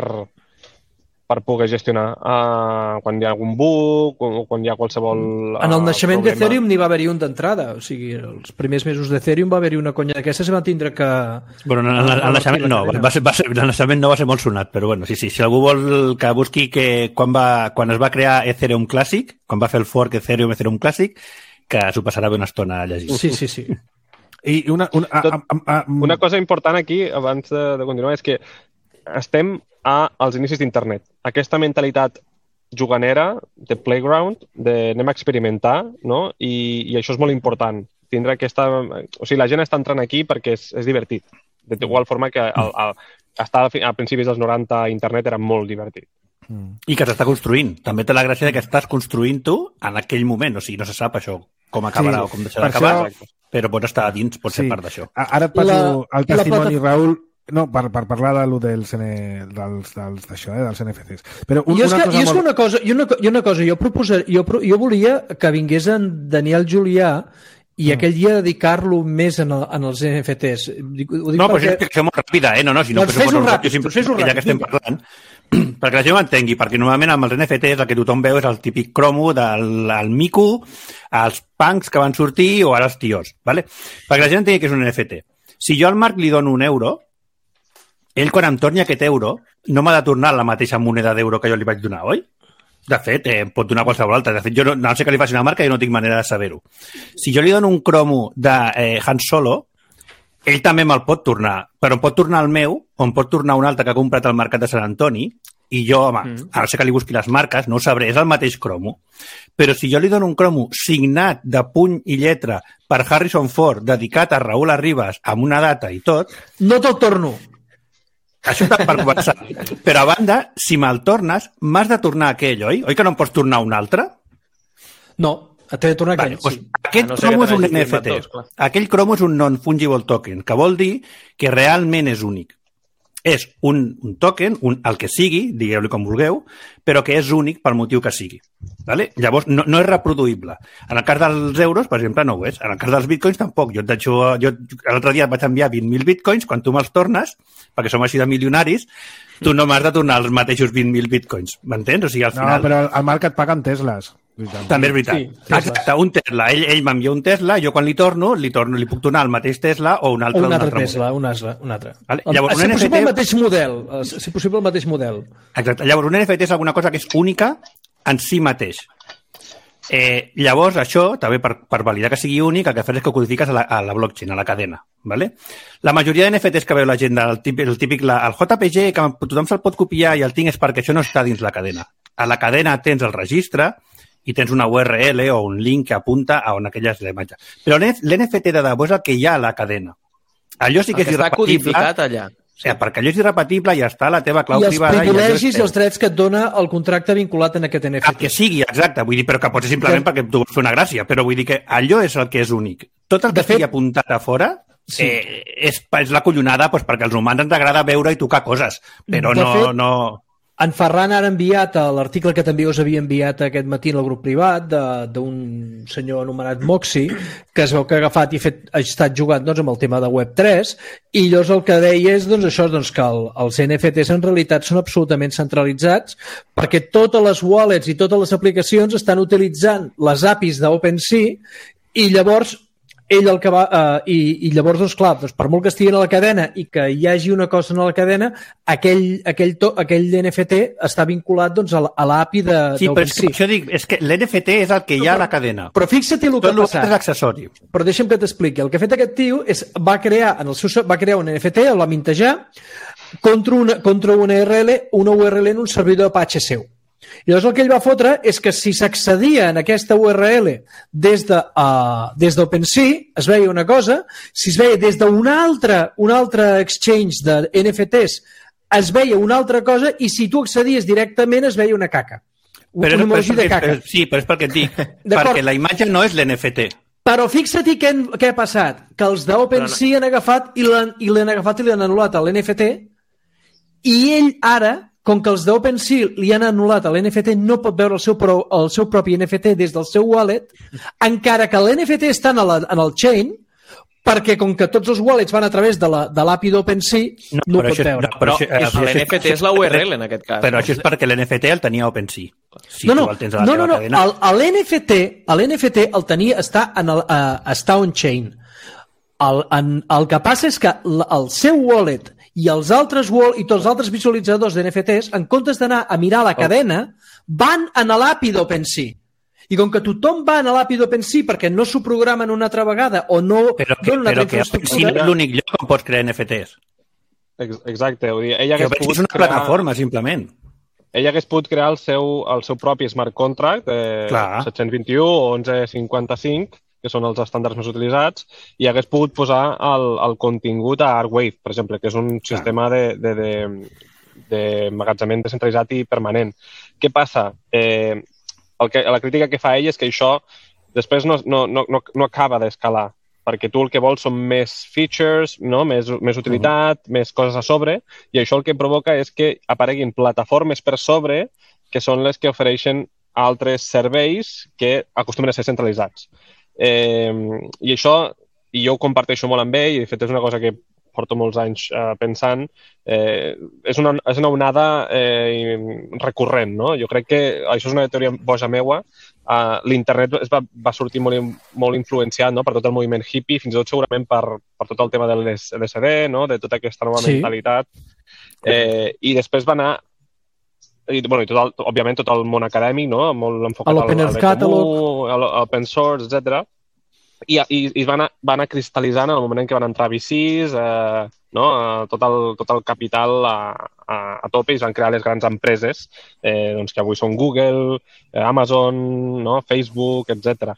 per poder gestionar uh, quan hi ha algun bug o quan hi ha qualsevol uh, En el naixement problema. d'Ethereum n'hi va haver-hi un d'entrada. O sigui, els primers mesos d'Ethereum va haver-hi una conya d'aquestes i van tindre que... Bueno, el, el, el naixement no, va ser, va ser, el naixement no va ser molt sonat, però bueno, sí, sí, si algú vol que busqui que quan, va, quan es va crear Ethereum Classic, quan va fer el fork Ethereum Ethereum Classic, que s'ho passarà bé una estona a llegir. Sí, sí, sí. I una, una, a, a, a, a, una cosa important aquí, abans de, de continuar, és que estem a, als inicis d'internet. Aquesta mentalitat juganera, de playground, de anem a experimentar, no? I, i això és molt important. Tindre aquesta... O sigui, la gent està entrant aquí perquè és, és divertit. D'igual forma que el, el, estar a principis dels noranta a internet era molt divertit. I que s'està construint. També té la gràcia que estàs construint tu en aquell moment. O sigui, no se sap això com acabarà sí, o com deixarà d'acabar, això... però pots estar a dins, pots sí. ser part d'això. Ara et passo la, el testimoni, plata... Raül, no, per, per parlar de lo dels, dels, dels, d'això, eh, dels N F Ts. Però un, I és, una que, cosa i és molt... una cosa, i una, i una cosa jo, proposar, jo, jo volia que vingués en Daniel Julià i mm. aquell dia dedicar-lo més en, el, en els N F Ts. Ho dic no, però perquè... és una explicació molt ràpida, eh? No, no, si no, doncs fes-ho ràpid, sempre, fes-ho ràpid. Ja que estem parlant, perquè la gent ho entengui, perquè normalment amb els N F Ts el que tothom veu és el típic cromo del el mico, els punks que van sortir o ara els tios, ¿vale? Perquè la gent entengui que és un N F T. Si jo al Marc li dono un euro, ell quan em torni aquest euro no m'ha de tornar la mateixa moneda d'euro que jo li vaig donar, oi? De fet, eh, pot donar qualsevol altra. De fet, jo no, no sé que li faci una marca i no tinc manera de saber-ho. Si jo li dono un cromo de eh, Han Solo, ell també me'l pot tornar, però em pot tornar el meu o em pot tornar un altre que ha comprat al mercat de Sant Antoni i jo, home, mm. a no ser que li busqui les marques, no ho sabré, és el mateix cromo. Però si jo li dono un cromo signat de puny i lletra per Harrison Ford, dedicat a Raül Arribas, amb una data i tot... No te'l torno. Això està per començar. Però a banda, si me'l tornes, m'has de tornar aquell, oi? Oi que no em pots tornar un altre? No, t'he de tornar aquell, vale, sí. Doncs aquest no cromo és un N F T. Dos, aquell cromo és un non-fungible token, que vol dir que realment és únic. És un, un token, un, el que sigui, digueu-li com vulgueu, però que és únic pel motiu que sigui. Vale? Llavors, no, no és reproduïble. En el cas dels euros, per exemple, no ho és. En el cas dels bitcoins, tampoc. Jo, jo, jo l'altre dia et vaig enviar vint mil bitcoins, quan tu me'ls tornes, perquè som així de milionaris, tu no m'has de tornar els mateixos vint mil bitcoins. M'entens? O sigui, al final... No, però el Marc et paga en Teslas. També és veritat. Sí, exacte, un Tesla. Ell, ell m'envia un Tesla, jo quan li torno, li torno, li puc tornar el mateix Tesla o un altre, o un altre, altre Tesla, un altre, un altre. Vale? Llavors, si un possible N F T... el mateix model. Si possible el mateix model. Exacte. Llavors, un N F T és alguna cosa que és única en si mateix. Eh, llavors, això, també per, per validar que sigui únic, el que fas és que ho codifiques a la, a la blockchain, a la cadena. ¿Vale? La majoria de N F Ts que veu la gent, el típic, el, típic la, el J P G, que tothom se'l pot copiar i el tinc és perquè això no està dins la cadena. A la cadena tens el registre i tens una U R L o un link que apunta a on aquella és la imatge. Però l'N F T de debò és el que hi ha a la cadena. Allò sí que, que és irrepetible. Està codificat allà. Sí. Eh, perquè allò és irrepetible i està a la teva clau I privada. I els privilegis i, i els drets que et dona el contracte vinculat en aquest N F T. El que sigui, exacte. Vull dir, però que pot ser simplement que... perquè tu vols fer una gràcia. Però vull dir que allò és el que és únic. Tot el que estigui fet... apuntat a fora sí. eh, és, és la collonada doncs, perquè als humans ens agrada veure i tocar coses. Però de no... Fet... no... En Ferran ha enviat l'article que també us havia enviat aquest matí en el grup privat d'un senyor anomenat Moxie, que es veu que ha agafat i fet, ha estat jugant doncs, amb el tema de web tres, i llavors el que deia és doncs, això, doncs, que el, els N F Ts en realitat són absolutament centralitzats perquè totes les wallets i totes les aplicacions estan utilitzant les A P Is d'OpenSea i llavors ell el que va... Uh, i, I llavors, doncs, clar, doncs, per molt que estigui a la cadena i que hi hagi una cosa en la cadena, aquell, aquell, to, aquell N F T està vinculat doncs, a l'A P I de Sí, però és que, això dic, és que l'N F T és el que hi ha a la cadena. Però fixa't el que ha passat. Tot és accessori. Però deixa'm que t'expliqui. El que ha fet aquest tio és, va crear, en el seu, va crear un N F T, el va mintejar, contra una, contra una U R L, una U R L en un servidor Apache seu. I llavors el que ell va fotre és que si s'accedia en aquesta U R L des de, uh, des d'OpenSea es veia una cosa, si es veia des d'un altre, un altre exchange de N F Ts es veia una altra cosa i si tu accedies directament es veia una caca. Però, un emoji però, de caca. Però, sí, però és perquè et dic, perquè la imatge no és l'N F T. Però fixa't què, què ha passat, que els d'OpenSea han agafat i l'han agafat i l'han anul·lat a l'N F T i ell ara, com que els d'OpenSea li han anul·lat l'N F T, no pot veure el seu, pro, el seu propi N F T des del seu wallet, encara que l'N F T està en, la, en el chain, perquè com que tots els wallets van a través de l'A P I d'OpenSea, no, no ho pot això, veure. No, però però això, l'N F T és la U R L en aquest cas. Però això és perquè l'N F T el tenia OpenSea. Si no, no, tu el tens a la no, no, no. cadena... L'N F T, l'N F T el tenia, està, en el, uh, està on-chain. El, en, el que passa és que el seu wallet i els altres wall i tots els altres visualitzadors d'N F Ts, en comptes d'anar a mirar la cadena, van a l'A P I d'OpenSea. I com que tothom va a l'A P I d'OpenSea perquè no s'ho programen una altra vegada o no però que, donen una però altra infraestructura... Però que és l'únic lloc on pots crear N F Ts. Exacte. Vull dir, ella que és una crear... plataforma, simplement. Ell hagués pogut crear el seu, el seu propi smart contract, eh, set-cents vint-i-u o onze cinquanta-cinc, que són els estàndards més utilitzats, i hagués pogut posar el, el contingut a Arcwave, per exemple, que és un sistema de, de, de, de magatzament descentralitzat i permanent. Què passa? Eh, el que, la crítica que fa ell és que això després no, no, no, no acaba d'escalar, perquè tu el que vols són més features, no? més, més utilitat, uh-huh. més coses a sobre, i això el que provoca és que apareguin plataformes per sobre que són les que ofereixen altres serveis que acostumen a ser centralitzats. Eh, i això, i jo ho comparteixo molt amb ell, i de fet és una cosa que porto molts anys eh, pensant, eh, és, una, és una onada eh, recurrent, no? Jo crec que això és una teoria boja meua. Uh, l'internet es va, va sortir molt, molt influenciat, no? Per tot el moviment hippie, fins i tot segurament per, per tot el tema de l'L S D, no? De tota aquesta nova sí. mentalitat. Eh, I després va anar i, bueno, i tot el, òbviament tot el món acadèmic, no? Molt enfocat al, al comú, al open source, etcètera. I, i, i es va anar, va anar cristal·litzant en el moment en què van entrar V Cs, eh, no? tot, el, tot el capital a, a, a tope, i es van crear les grans empreses eh, doncs que avui són Google, eh, Amazon, no? Facebook, etcètera.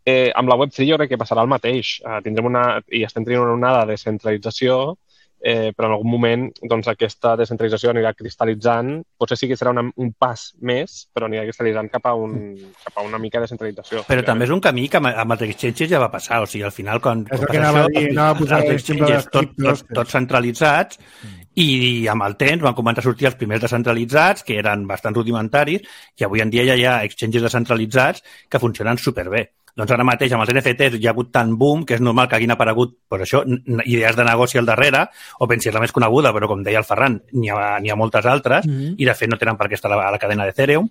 Eh, amb la web tres jo crec que passarà el mateix. Eh, tindrem una, i estem tenint una onada de centralització, eh, però en algun moment doncs, aquesta descentralització anirà cristal·litzant. Potser sí que serà una, un pas més, però anirà cristal·litzant cap a, un, cap a una mica de centralització. Però també és un camí que amb els exchanges ja va passar. O sigui, al final, quan, és quan que passa anava això, dir, anava a posar els exchanges tots tot, tot centralitzats, mm. i amb el temps van començar a sortir els primers descentralitzats, que eren bastant rudimentaris, i avui en dia ja hi ha exchanges descentralitzats que funcionen superbé. Doncs ara mateix amb els N F Ts hi ha hagut tant boom que és normal que hagin aparegut pues això, idees de negoci al darrere, o pensi la més coneguda, però com deia el Ferran, n'hi ha, n'hi ha moltes altres, mm-hmm. i de fet no tenen per què estar a la, a la cadena d'Ethereum,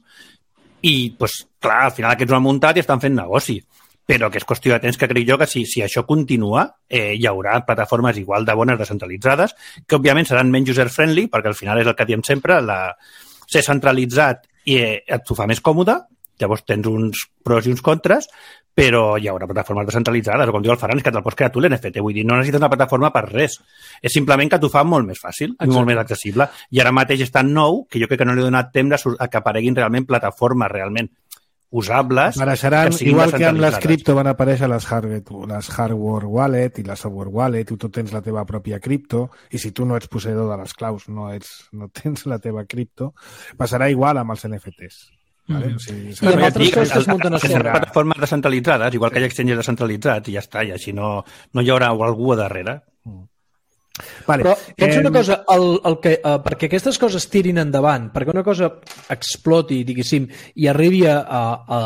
i pues, clar, al final aquests ho han muntat i estan fent negoci. Però que és qüestió de temps que crec jo que si, si això continua, eh, hi haurà plataformes igual de bones descentralitzades, que òbviament seran menys user-friendly, perquè al final és el que diem sempre, la... ser centralitzat i eh, et ho fa més còmode, llavors tens uns pros i uns contres, però hi haurà plataformes descentralitzades, o com diu el Ferran, és que te'l pots crear tu l'N F T, vull dir, no necessites una plataforma per res, és simplement que t'ho fa molt més fàcil, i molt més accessible, i ara mateix és tan nou que jo crec que no li he donat temps a que apareguin realment plataformes realment usables. Apareixeran, que igual que amb les cripto van aparèixer les hardware, les hardware wallet i la software wallet, i tu tens la teva pròpia cripto, i si tu no ets posseïdor de les claus, no, ets, no tens la teva cripto, passarà igual amb els N F Ts. Vale? Mm. O sigui, I amb altres coses que es munten a sobre. Plataformes descentralitzades, igual que hi ha exchanges descentralitzats, i ja està, i així no, no hi haurà algú a darrere. Mm. Vale. Però penso eh... una cosa, el, el que, uh, perquè aquestes coses tirin endavant, perquè una cosa exploti, diguéssim, i arribi a, a,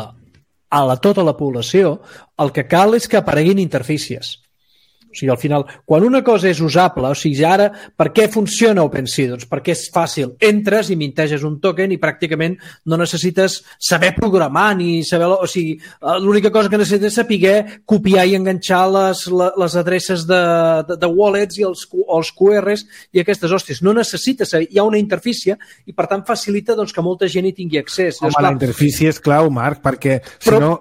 a la, tota la població, el que cal és que apareguin interfícies. O sigui, al final, quan una cosa és usable, o sigui, ara, per què funciona OpenSea? Doncs perquè és fàcil. Entres i minteges un token i pràcticament no necessites saber programar ni saber... O sigui, l'única cosa que necessites és saber copiar i enganxar les, les adreces de, de, de wallets i els, els Q Rs i aquestes hòsties. No necessites saber. Hi ha una interfície i, per tant, facilita doncs, que molta gent hi tingui accés. Home, la interfície és clau, Marc, perquè si Però... no...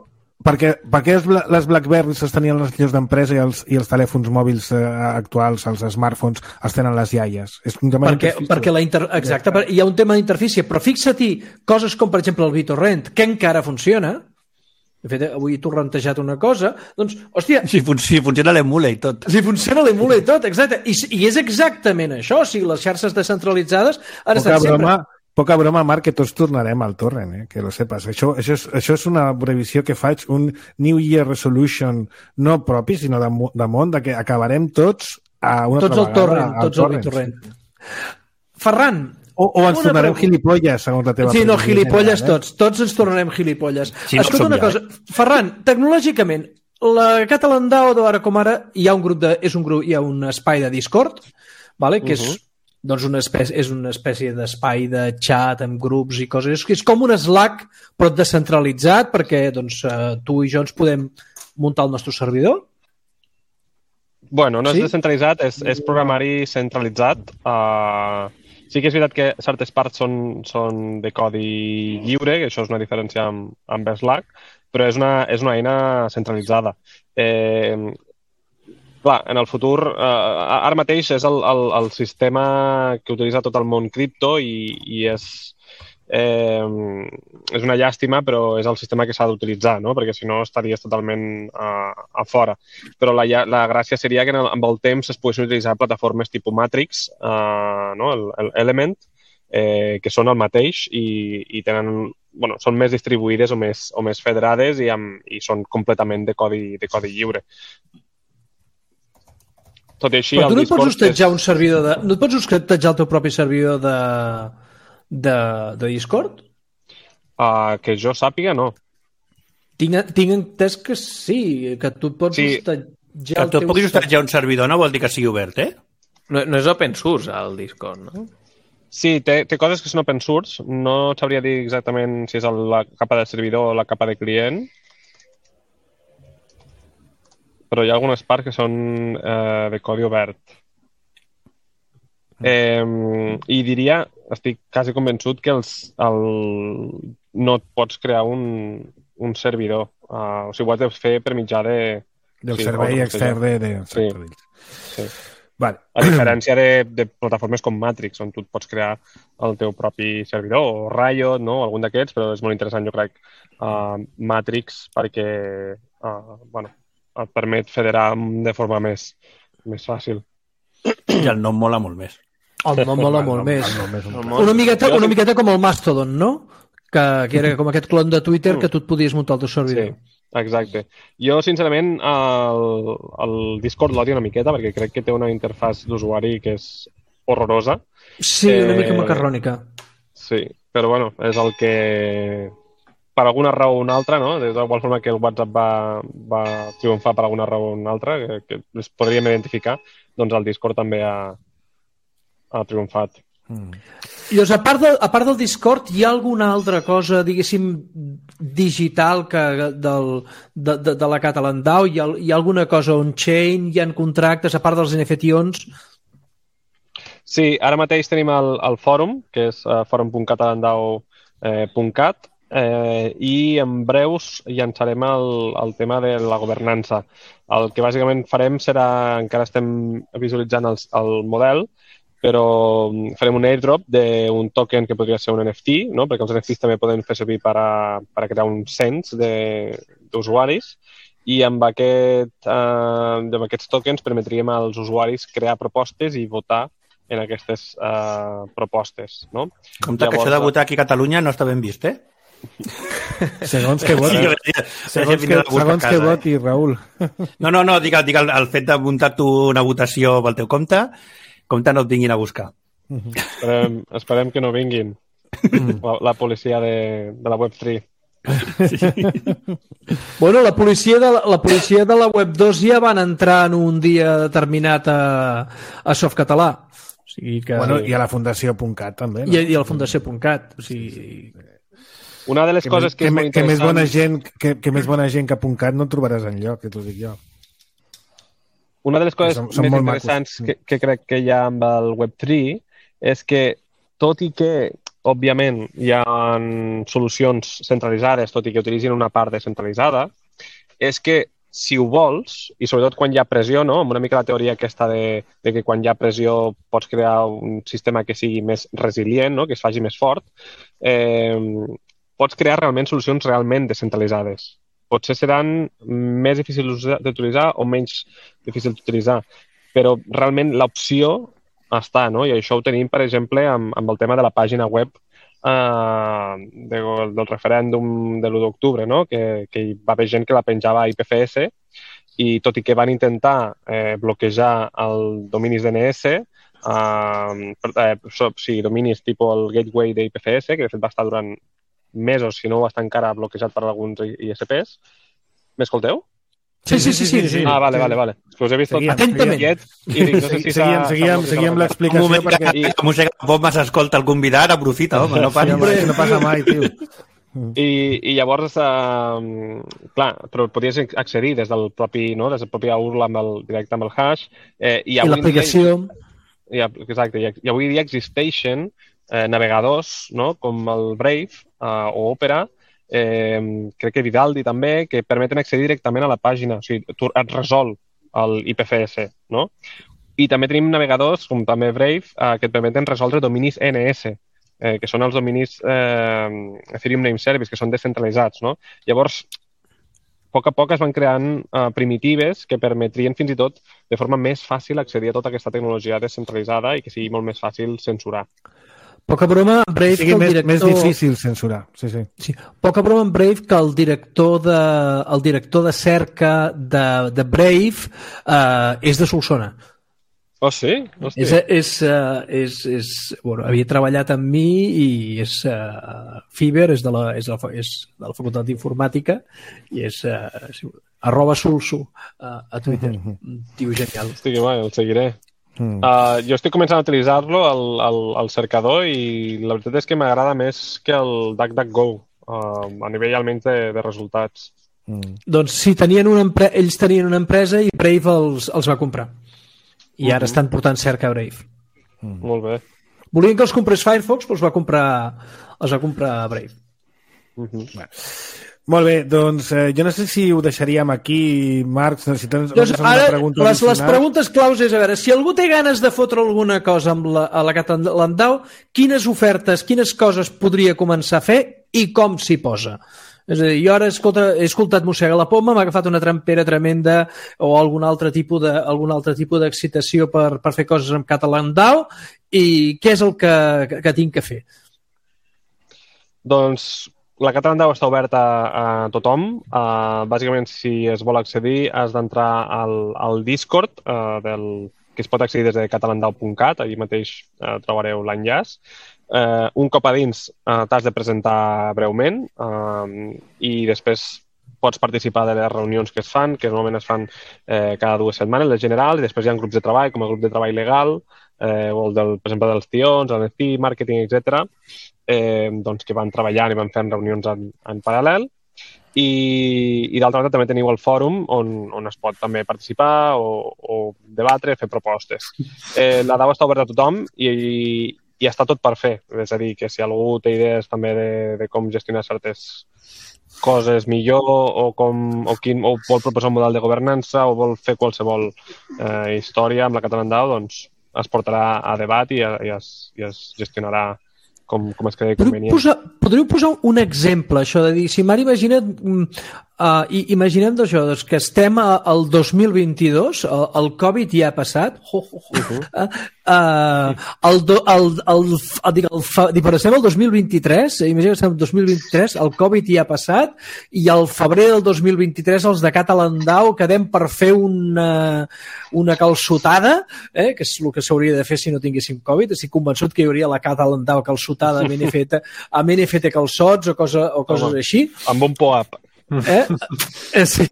Perquè, perquè les BlackBerry sostenien les lliures d'empresa i els, i els telèfons mòbils eh, actuals, els smartphones, els tenen les iaies. És un tema perquè, perquè la inter... Exacte, ja. Hi ha un tema d'interfície, però fixa-t'hi coses com, per exemple, el BitTorrent, que encara funciona. De fet, avui he torrentejat una cosa, doncs, hòstia... Si, fun si funciona l'emule i tot. Si funciona l'emule i tot, exacte. I, I és exactament això, o sigui, les xarxes descentralitzades han estat sempre... Poca broma, Marc, que tots tornarem al torrent, eh? Que lo sepas. Això, això, és, això és una previsió que faig, un New Year Resolution no propi, sinó de, de món, de que acabarem tots a una tots altra al vegada. Tots al torrent. Ferran, o, o ens tornarem pregunta. gilipolles, segons la teva Sí, no, gilipolles general, eh? tots. Tots ens tornarem gilipolles. Sí, no Escolta una ja, cosa. Eh? Ferran, tecnològicament, la Catalan D A O, ara com ara, hi ha un grup de, és un grup, hi ha un espai de Discord, vale? que uh -huh. és doncs una espècie, és una espècie d'espai de xat amb grups i coses. És com un Slack, però descentralitzat, perquè doncs, tu i jo ens podem muntar el nostre servidor. Bueno, no és sí? descentralitzat, és, és programari centralitzat. Uh, sí que és veritat que certes parts són, són de codi lliure, que això és una diferència amb, amb Slack, però és una, és una eina centralitzada. Eh, Clar, en el futur, eh, ara mateix és el, el, el sistema que utilitza tot el món cripto i, i és, eh, és una llàstima, però és el sistema que s'ha d'utilitzar, no? Perquè si no estaries totalment a, a fora. Però la, la gràcia seria que en el, amb el temps es poguessin utilitzar plataformes tipus Matrix, eh, no? el, el Element, eh, que són el mateix i, i tenen, bueno, són més distribuïdes o més, o més federades i, amb, i són completament de codi, de codi lliure. Tot i així, però tu no et pots hostatjar és... un servidor de... No et pots hostatjar el teu propi servidor de, de, de Discord? Uh, que jo sàpiga, no. Tinc, tinc entès que sí, que tu et pots sí. hostatjar... Que tu et puguis hostatjar un servidor no vol dir que sigui obert, eh? No, no és open source, el Discord, no? Sí, té, té coses que són open source. No sabria dir exactament si és la capa de servidor o la capa de client, però hi ha algunes parts que són eh, de codi obert. Eh, I diria, estic quasi convençut que els, el, no et pots crear un, un servidor. Uh, o sigui, ho has de fer per mitjà de... Del sí, servei extern de... de... Sí. sí. Vale. A diferència de, de plataformes com Matrix, on tu et pots crear el teu propi servidor, o Riot, no? Algun d'aquests, però és molt interessant, jo crec, uh, Matrix, perquè uh, bueno, et permet federar de forma més, més fàcil. I el nom mola molt més. El nom mola molt més. Una miqueta, una miqueta com el Mastodon, no? Que, que era com aquest clon de Twitter que tu et podies muntar el teu servidor. Sí, exacte. Jo, sincerament, el, el Discord l'odio una miqueta perquè crec que té una interfàs d'usuari que és horrorosa. Sí, una mica macarrònica. Sí, però bueno, és el que... per alguna raó o una altra, no? De igual forma que el WhatsApp va, va triomfar per alguna raó o una altra, que, que es podríem identificar, doncs el Discord també ha, ha triomfat. Mm. Llavors, a part, de, a part del Discord, hi ha alguna altra cosa, diguéssim, digital que del, de, de, de la Catalan D A O? Hi ha, hi ha alguna cosa on-chain? Hi ha contractes, a part dels N F T ons? Sí, ara mateix tenim el, el fòrum, que és uh, forum punt catalan d a o punt cat, Eh, i en breus llançarem el, el tema de la governança. El que bàsicament farem serà, encara estem visualitzant el, el model, però farem un airdrop d'un token que podria ser un N F T, no? Perquè els N F Ts també poden fer servir per a, per a crear un cens d'usuaris, i amb, aquest, eh, amb aquests tokens permetríem als usuaris crear propostes i votar en aquestes eh, propostes. No? Compte Llavors, que això de votar aquí a Catalunya no està ben vist, eh? Segons que voti, segons que, segons que voti, Raül. No, no, no, dic, dic el, el fet de muntar tu una votació pel teu compte, compte no et vinguin a buscar. Esperem, esperem que no vinguin la, la policia de, de la web tres. Sí. Bueno, la policia, de la, la policia de la web dos ja van entrar en un dia determinat a, a Softcatalà. O sigui que... Bueno, i a la Fundació .cat també. No? I, I a la Fundació .cat. O sigui... Una de les que coses més, que, que, és molt que, més interessant... bona gent, que, que més bona gent que .cat no et trobaràs enlloc, que t'ho dic jo. Una de les coses som, som més molt interessants macos. que, que crec que hi ha amb el web tres és que, tot i que, òbviament, hi ha solucions centralitzades, tot i que utilitzin una part descentralitzada, és que, si ho vols, i sobretot quan hi ha pressió, no? Amb una mica la teoria aquesta de, de que quan hi ha pressió pots crear un sistema que sigui més resilient, no? Que es faci més fort, eh, pots crear realment solucions realment descentralitzades. Potser seran més difícils d'utilitzar o menys difícils d'utilitzar, però realment l'opció està, no? I això ho tenim, per exemple, amb, amb el tema de la pàgina web Uh, de, del referèndum de l'u d'octubre, no? que, que hi va haver gent que la penjava a I P F S i tot i que van intentar eh, bloquejar el dominis D N S, uh, eh, o sigui, dominis tipus el gateway d'I P F S, que de fet va estar durant mesos, si no va estar encara bloquejat per alguns I S Ps. M'escolteu? Sí, sí, sí, sí, sí. Ah, vale, vale, vale. És que us he vist tot atentament. I dic, no sé si seguíem, seguíem, seguíem l'explicació. Un moment perquè... que la música pop s'escolta el convidat, aprofita, home, no passa, sí, no passa mai, tio. I, i llavors, eh, clar, però podies accedir des del propi, no? Des del propi U R L amb el, directe amb el hash. Eh, i, I l'aplicació. I, exacte, i, i avui dia existeixen eh, navegadors, no? Com el Brave eh, o Opera, eh, crec que Vivaldi també, que permeten accedir directament a la pàgina. O sigui, tu et resol el I P F S, no? I també tenim navegadors, com també Brave, eh, que et permeten resoldre dominis N S, eh, que són els dominis eh, Ethereum Name Service, que són descentralitzats, no? Llavors, a poc a poc es van creant eh, primitives que permetrien fins i tot de forma més fàcil accedir a tota aquesta tecnologia descentralitzada i que sigui molt més fàcil censurar. Poca broma, Brave, sigui que el més, director... més difícil censurar. Sí, sí. Sí. Poca broma amb Brave, que el director de, el director de cerca de, de Brave eh, és de Solsona. Oh, sí? Hòstia. És, és, uh, és, és, bueno, havia treballat amb mi i és uh, Fiber, és de la, és de la, és de la Facultat d'Informàtica i és uh, arroba Solso uh, a Twitter. Mm-hmm. Tio genial. Hosti, que guai, el seguiré. Mm. Uh, jo estic començant a utilitzar-lo al, al, al cercador i la veritat és que m'agrada més que el DuckDuckGo uh, a nivell almenys de, de resultats. Mm. Doncs sí, tenien una empre... ells tenien una empresa i Brave els, els va comprar. I ara uh-huh. estan portant cerca a Brave. Mm. Molt bé. Volien que els comprés Firefox, però els va comprar, els va comprar Brave. Uh-huh. Bueno. Molt bé, doncs eh, jo no sé si ho deixaríem aquí, Marc, si tens doncs ara, pregunta les, les preguntes claus és, a veure, si algú té ganes de fotre alguna cosa amb la, a la Catalandau, quines ofertes, quines coses podria començar a fer i com s'hi posa? És a dir, jo ara escolta, he escoltat Mossega la Poma, m'ha agafat una trampera tremenda o algun altre tipus de, algun altre tipus d'excitació per, per fer coses amb Catalandau i què és el que, que, que tinc que fer? Doncs la Catalandau està oberta a tothom. Uh, bàsicament, si es vol accedir, has d'entrar al, al Discord, uh, del, que es pot accedir des de catalandau punt cat, allà mateix uh, trobareu l'enllaç. Uh, un cop a dins uh, t'has de presentar breument uh, i després pots participar de les reunions que es fan, que normalment es fan eh, cada dues setmanes, les generals, i després hi ha grups de treball, com el grup de treball legal, eh, o el del, per exemple, dels tions, el N F P, màrqueting, etcètera, eh, doncs, que van treballant i van fent reunions en, en paral·lel. I, i d'altra banda també teniu el fòrum on, on es pot també participar o, o debatre, fer propostes. Eh, la D A O està oberta a tothom i, i està tot per fer. És a dir, que si algú té idees també de, de com gestionar certes coses millor o, com, o, quin, o vol proposar un model de governança o vol fer qualsevol eh, història amb la Catalandau, doncs es portarà a debat i, i, es, i es gestionarà com, com es cregui convenient. Podríeu posar, podríeu posar un exemple, això de dir, si m'ara imagina't Uh, i imaginem això, doncs, que estem a, al dos mil vint-i-dos, el, el Covid ja ha passat, ho, ho, ho. Uh, uh, el, do, el, el, el, dic, el, el, dic, però estem al dos mil vint-i-tres, imaginem que estem al dos mil vint-i-tres, el Covid ja ha passat, i al febrer del dos mil vint-i-tres els de Catalandau quedem per fer una, una calçotada, eh, que és el que s'hauria de fer si no tinguéssim Covid. Estic convençut que hi hauria la Catalandau calçotada amb N F T, amb N F T calçots o, cosa, o coses Home, així. Amb un pop-up. Eh? Eh, sí.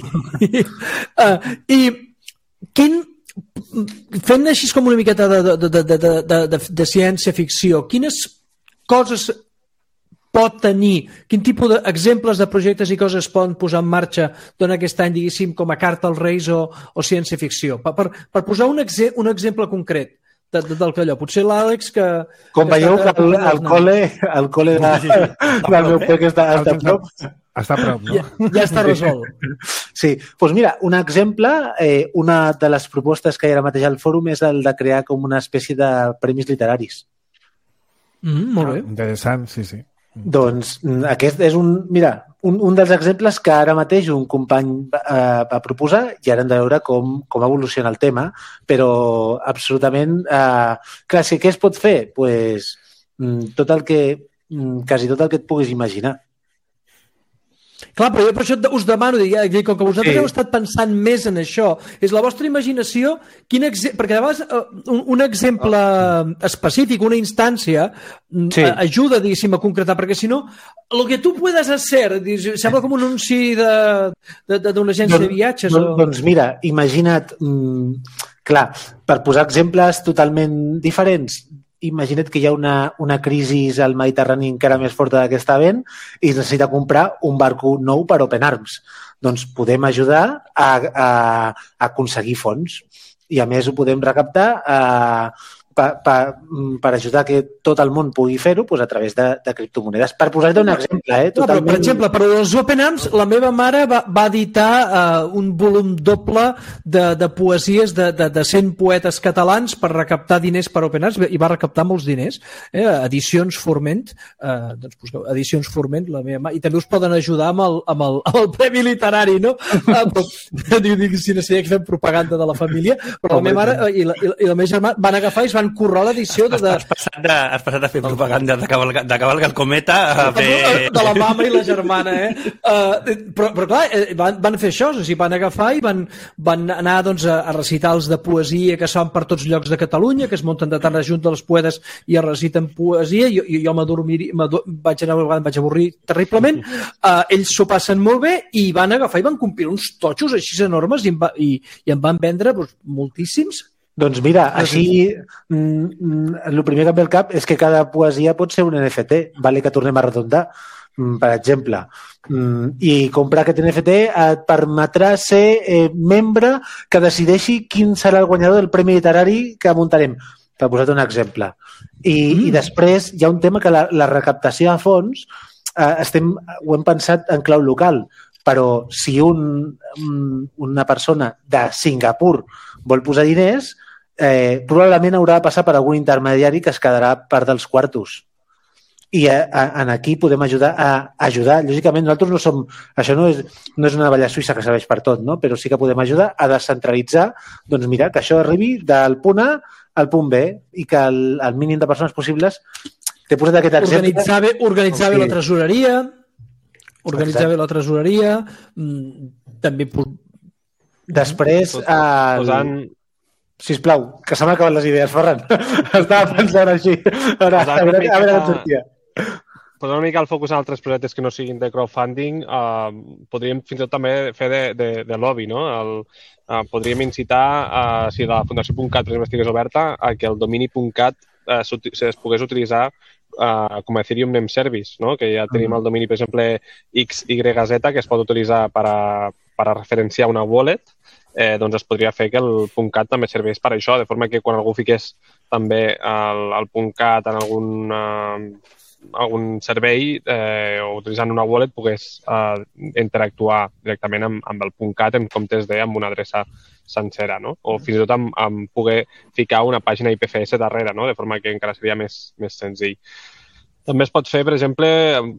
Uh, I quin, fent així com una miqueta de, de, de, de, de, de, de ciència-ficció, quines coses pot tenir, quin tipus d'exemples de projectes i coses poden posar en marxa durant aquest any, diguéssim, com a carta als Reis o, o ciència-ficció? Per, per, per posar un, exe, un exemple concret de, de, del que allò. Potser l'Àlex que... Com que veieu que el, el col·le, el col·le de, sí, sí. del meu pec està, està a prop. Està a prop, no? Ja, ja està resolt. Sí, doncs mira, un exemple, eh, una de les propostes que hi ha ara mateix al fòrum és el de crear com una espècie de premis literaris. Mm, molt bé. Ah, interessant, sí, sí. Doncs aquest és un, mira, un, un dels exemples que ara mateix un company eh, va proposar i ara hem de veure com, com evoluciona el tema, però absolutament, eh, clar, si què es pot fer? Pues, tot el que, quasi tot el que et puguis imaginar. Clar, però jo per això us demano, dic, com que vosaltres sí. heu estat pensant més en això, és la vostra imaginació, quin exe... perquè de vegades un, un exemple específic, una instància, sí. ajuda, diguéssim, a concretar, perquè si no, el que tu puedes hacer, sembla com un anunci d'una agència de viatges. Doncs, o... doncs mira, imagina't, mmm, clar, per posar exemples totalment diferents, imagina't que hi ha una, una crisi al Mediterrani encara més forta del que està havent i es necessita comprar un barco nou per Open Arms. Doncs podem ajudar a, a, a aconseguir fons i a més ho podem recaptar a, per, per, per ajudar que tot el món pugui fer-ho doncs a través de, de criptomonedes. Per posar-te un exemple, eh? Totalment... No, però, per exemple, per als Open Arms, la meva mare va, va editar uh, un volum doble de, de poesies de, de, de cent poetes catalans per recaptar diners per Open Arms i va recaptar molts diners. Eh? Edicions Forment, uh, doncs busqueu, Edicions Forment, la meva mare, i també us poden ajudar amb el, amb el, amb el Premi Literari, no? Uh, però, diu, dic, si no sé que fem propaganda de la família, però la meva mare uh, i, la, i, la, i la meva germana van agafar i es van currar l'edició de... Has, passat de, has passat a fer propaganda de cavalgar, de cavalgar el cometa a fer... De la mama i la germana, eh? Uh, però, però clar, van, van fer això, o sigui, van agafar i van, van anar doncs, a, a recitals de poesia que es fan per tots llocs de Catalunya, que es munten de tarda junt dels poetes i es reciten poesia, i jo, jo m'adormir, vaig anar una vegada, em vaig avorrir terriblement, uh, ells s'ho passen molt bé i van agafar i van complir uns totxos així enormes i, va, i, i en van vendre doncs, moltíssims. Doncs mira, així mm, el primer que em ve al cap és que cada poesia pot ser un N F T, vale que tornem a redondar, mm, per exemple. Mm, I comprar aquest N F T et permetrà ser eh, membre que decideixi quin serà el guanyador del Premi Literari que muntarem, per posar-te un exemple. I, mm. i després hi ha un tema que la, la recaptació de fons eh, estem, ho hem pensat en clau local, però si un, una persona de Singapur vol posar diners, eh, probablement haurà de passar per algun intermediari que es quedarà part dels quartos. I a, a, en aquí podem ajudar a ajudar. Lògicament, nosaltres no som... Això no és, no és una valla suïssa que serveix per tot, no? Però sí que podem ajudar a descentralitzar, doncs mira, que això arribi del punt A al punt B i que el, el mínim de persones possibles... T'he posat aquest exemple... Organitzar bé, organitzar bé la tresoreria, organitzar bé la tresoreria, també... Després... El... Posant... Sisplau, que se m'han acabat les idees, Ferran. Estava pensant així. A veure, a veure, a veure com sortia. Posant una mica el focus en altres projectes que no siguin de crowdfunding, eh, podríem fins i tot també fer de, de, de lobby, no? El, eh, podríem incitar, eh, si la Fundació .cat estigués oberta, a que el domini .cat eh, es pogués utilitzar eh, com a Ethereum Name Service, no? Que ja tenim el domini, per exemple, X Y Z, que es pot utilitzar per a, per a referenciar una wallet. Eh, doncs es podria fer que el .cat també serveix per això, de forma que quan algú fiqués també el, el .cat en algun, uh, algun servei eh, o utilitzant una wallet pogués uh, interactuar directament amb, amb el .cat en comptes de amb una adreça sencera, no? O fins i tot amb, amb poder ficar una pàgina I P F S darrere, no? De forma que encara seria més, més senzill. També es pot fer, per exemple,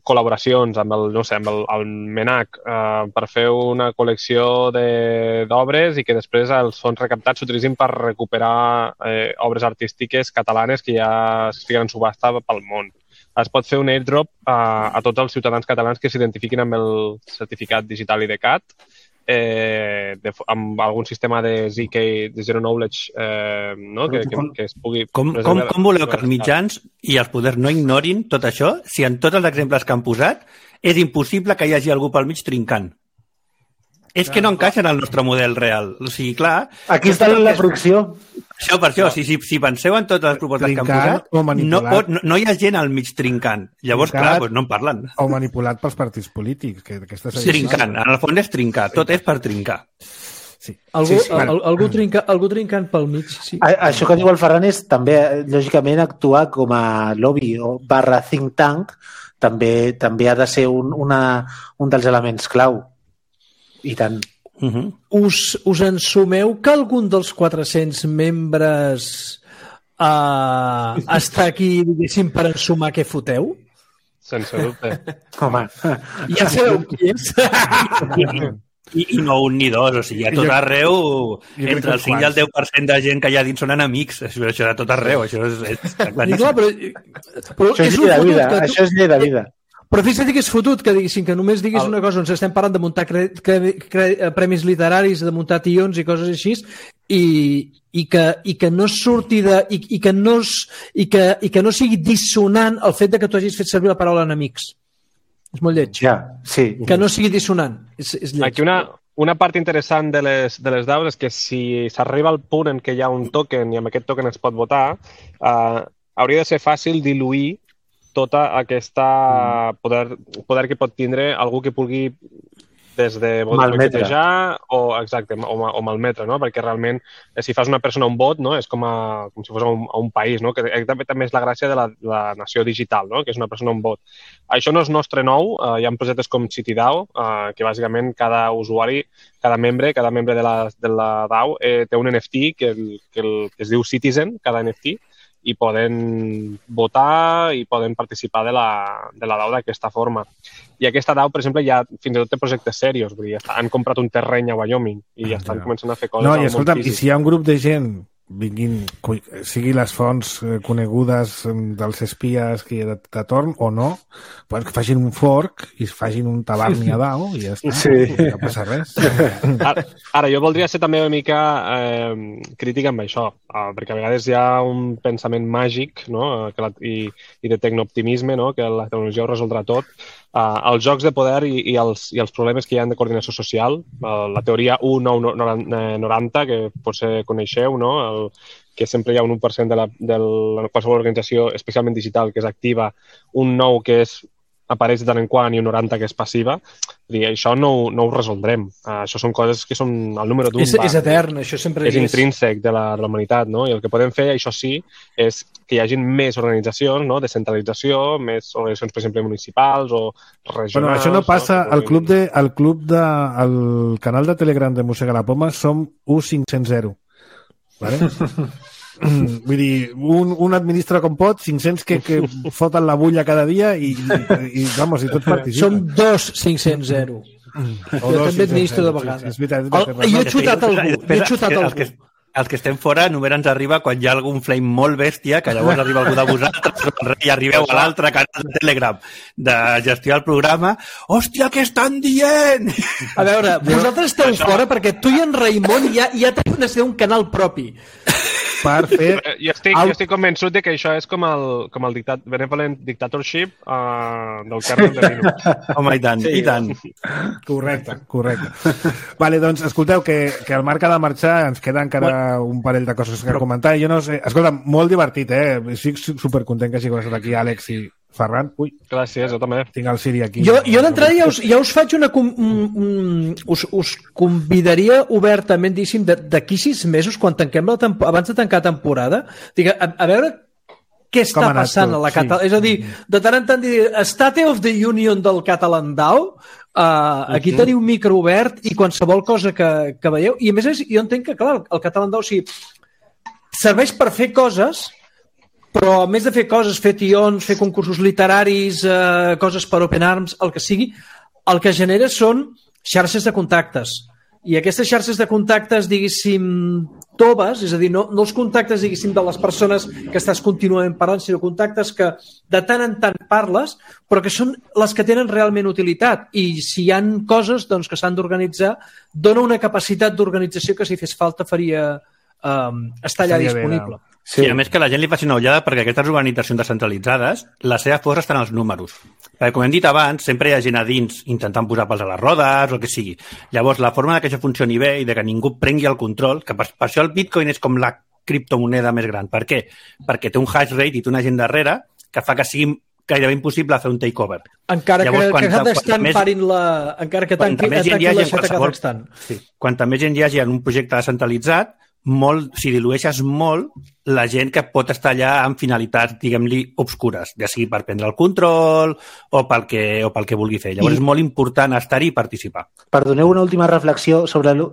col·laboracions amb el, no sé, amb el, el MENAC eh, per fer una col·lecció d'obres i que després els fons recaptats s'utilitzin per recuperar eh, obres artístiques catalanes que ja estiguen en subhasta pel món. Es pot fer un airdrop a, a tots els ciutadans catalans que s'identifiquin amb el certificat digital I D C A T, eh, de, amb algun sistema de Z K, de Zero Knowledge, eh, no? que, que, que es pugui... Com, com, com voleu que els mitjans i els poders no ignorin tot això si en tots els exemples que han posat és impossible que hi hagi algú pel mig trincant? És que no encaixa en el nostre model real. O sigui, clar... Aquí està la fricció. Això, per això, si, si, si penseu en totes les propostes que han posat, no, pot, no, no hi ha gent al mig trincant. Llavors, trincat, clar, doncs no en parlen. O manipulat pels partits polítics. Que, que trincant, en el fons és trincar. Tot és per trincar. Sí. Algú, sí, sí. Al, algú, trinca, algú trincant pel mig, sí. A, això que diu el Ferran és també, lògicament, actuar com a lobby o barra think tank també, també ha de ser un, una, un dels elements clau. I tant. Uh-huh. Us, us ensumeu que algun dels quatre-cents membres uh, està aquí, diguéssim, per ensumar què foteu? Sense dubte. Home. Ja sabeu qui és? I, I no un ni dos, o sigui, a tot arreu, entre el cinc i el deu per cent de gent que hi ha dins són enemics. Això, això a tot arreu, això és, és claríssim. Clar, però, però això és, és llei de vida, tu... això és llei de vida. Però fixa't que és fotut que diguessin que només diguis el... una cosa on estem parlant de muntar cre... Cre... Cre... premis literaris, de muntar tions i coses així, i, i, que, i que no surti de... i, i, que no, i, que, i que no sigui dissonant el fet de que tu hagis fet servir la paraula enemics. És molt lleig. Ja, sí. Que no sigui dissonant. És, és lleig. Aquí una, una part interessant de les, de les D A Os és que si s'arriba al punt en què hi ha un token i amb aquest token es pot votar, eh, hauria de ser fàcil diluir tota aquesta poder, poder que pot tindre algú que pugui des de boicotejar o, exacte, o, o malmetre, no? Perquè realment si fas una persona un vot, no? És com, a, com si fos a un, a un país, no? Que també, també és la gràcia de la, la nació digital, no? Que és una persona un vot. Això no és nostre nou, uh, hi ha projectes com CityDAO, uh, que bàsicament cada usuari, cada membre, cada membre de la, de la DAO eh, té un N F T que, el, que, el, que es diu Citizen, cada N F T, i poden votar i poden participar de la, de la DAO d'aquesta forma. I aquesta DAO, per exemple, ja fins i tot té projectes serios, vull dir, han comprat un terreny a Wyoming i ja estan començant a fer coses. No, i escolta'm, i si hi ha un grup de gent vinguin, sigui les fonts conegudes dels espies que hi ha de, de torn o no, pues que facin un fork i facin un tabarni a DAO i ja està, sí. No passa res. Ara, ara, jo voldria ser també una mica eh, crític amb això, eh, perquè a vegades hi ha un pensament màgic, no? Que la, i, i de tecnooptimisme, no? Que la tecnologia ho resoldrà tot. Uh, els jocs de poder i, i, els, i els problemes que hi ha de coordinació social, uh, la teoria u nou noranta, que potser coneixeu, no? El, que sempre hi ha un u per cent de, la, de la, qualsevol organització, especialment digital, que és activa, un nou que és apareix de tant en quant i un noranta que és passiva, dir, això no, no ho resoldrem. Uh, això són coses que són el número d'un. És, és etern, això sempre és. És intrínsec de la, de la humanitat, no? I el que podem fer, això sí, és que hi hagin més organitzacions, no? Descentralització, més organitzacions, per exemple, municipals o regionals. Bueno, això no passa. No? Al club de, al club de, al canal de Telegram de Mossega la Poma som U cinc cents zero. Vale? Vull dir, un, un administra com pot, cinc-cents que, que foten la bulla cada dia i, i, i vamos, i tots participen. Som dos cinc-cents zero. Jo també administro de vegades. És veritat, és veritat. El, jo he xutat algú. Jo he xutat algú. Els que, els que estem fora només ens arriba quan hi ha algun flame molt bèstia, que llavors arriba algú de vosaltres i arribeu a l'altre canal de Telegram de gestionar el programa. Hòstia, què estan dient? A veure, vosaltres esteu fora perquè tu i en Raimon ja, ja teniu de ser un canal propi. Per fer... Jo estic, jo estic convençut de que això és com el, com el dictat, benevolent dictatorship uh, del kernel de Linux. Home, i tant, sí, i tant. Correcte, correcte. Vale, doncs, escolteu, que, que el Marc ha de marxar, ens queda encara bueno, un parell de coses que comentar. Jo no sé... Escolta, molt divertit, eh? Estic supercontent que hagi estat aquí Àlex i Ferran. Ui. Gràcies, jo també. Tinc el Siri aquí. Jo, jo d'entrada ja us, ja us faig una... Un, un, us, us convidaria obertament, diguéssim, d'aquí sis mesos, quan tanquem la temporada, abans de tancar temporada, digue, a, a veure què està passant a la Català. Sí. És a dir, de tant en tant dir State of the Union del Catalan DAO, uh, aquí uh-huh. teniu un micro obert i qualsevol cosa que, que veieu. I a més, jo entenc que, clar, el Catalan DAO sí, serveix per fer coses però a més de fer coses, fer tions, fer concursos literaris, eh, coses per Open Arms, el que sigui, el que genera són xarxes de contactes. I aquestes xarxes de contactes, diguéssim, toves, és a dir, no, no els contactes, diguéssim, de les persones que estàs contínuament parlant, sinó contactes que de tant en tant parles, però que són les que tenen realment utilitat. I si hi han coses doncs, que s'han d'organitzar, dona una capacitat d'organització que si fes falta faria um, estar allà Estaria disponible. bé, Sí, a més que la gent li faci una ullada perquè aquestes organitzacions descentralitzades, la seva força està en els números. Perquè, com hem dit abans, sempre hi ha gent a dins intentant posar pals a les rodes o el que sigui. Llavors, la forma que això funcioni bé i de que ningú prengui el control, que per, per això el Bitcoin és com la criptomoneda més gran. Per què? Perquè té un hash rate i té una gent darrere que fa que sigui gairebé impossible fer un takeover. Encara Llavors, que, quanta, que Kazakhstan més, parin la... Encara que tanqui, més gent hi tanqui hagi la en xeta qualsevol... Kazakhstan. Sí. Quanta més gent hi hagi en un projecte descentralitzat, molt, si dilueixes molt la gent que pot estar allà amb finalitats, diguem-li, obscures, ja sigui per prendre el control o pel que, o pel que vulgui fer. Llavors I... és molt important estar-hi i participar. Perdoneu una última reflexió sobre... El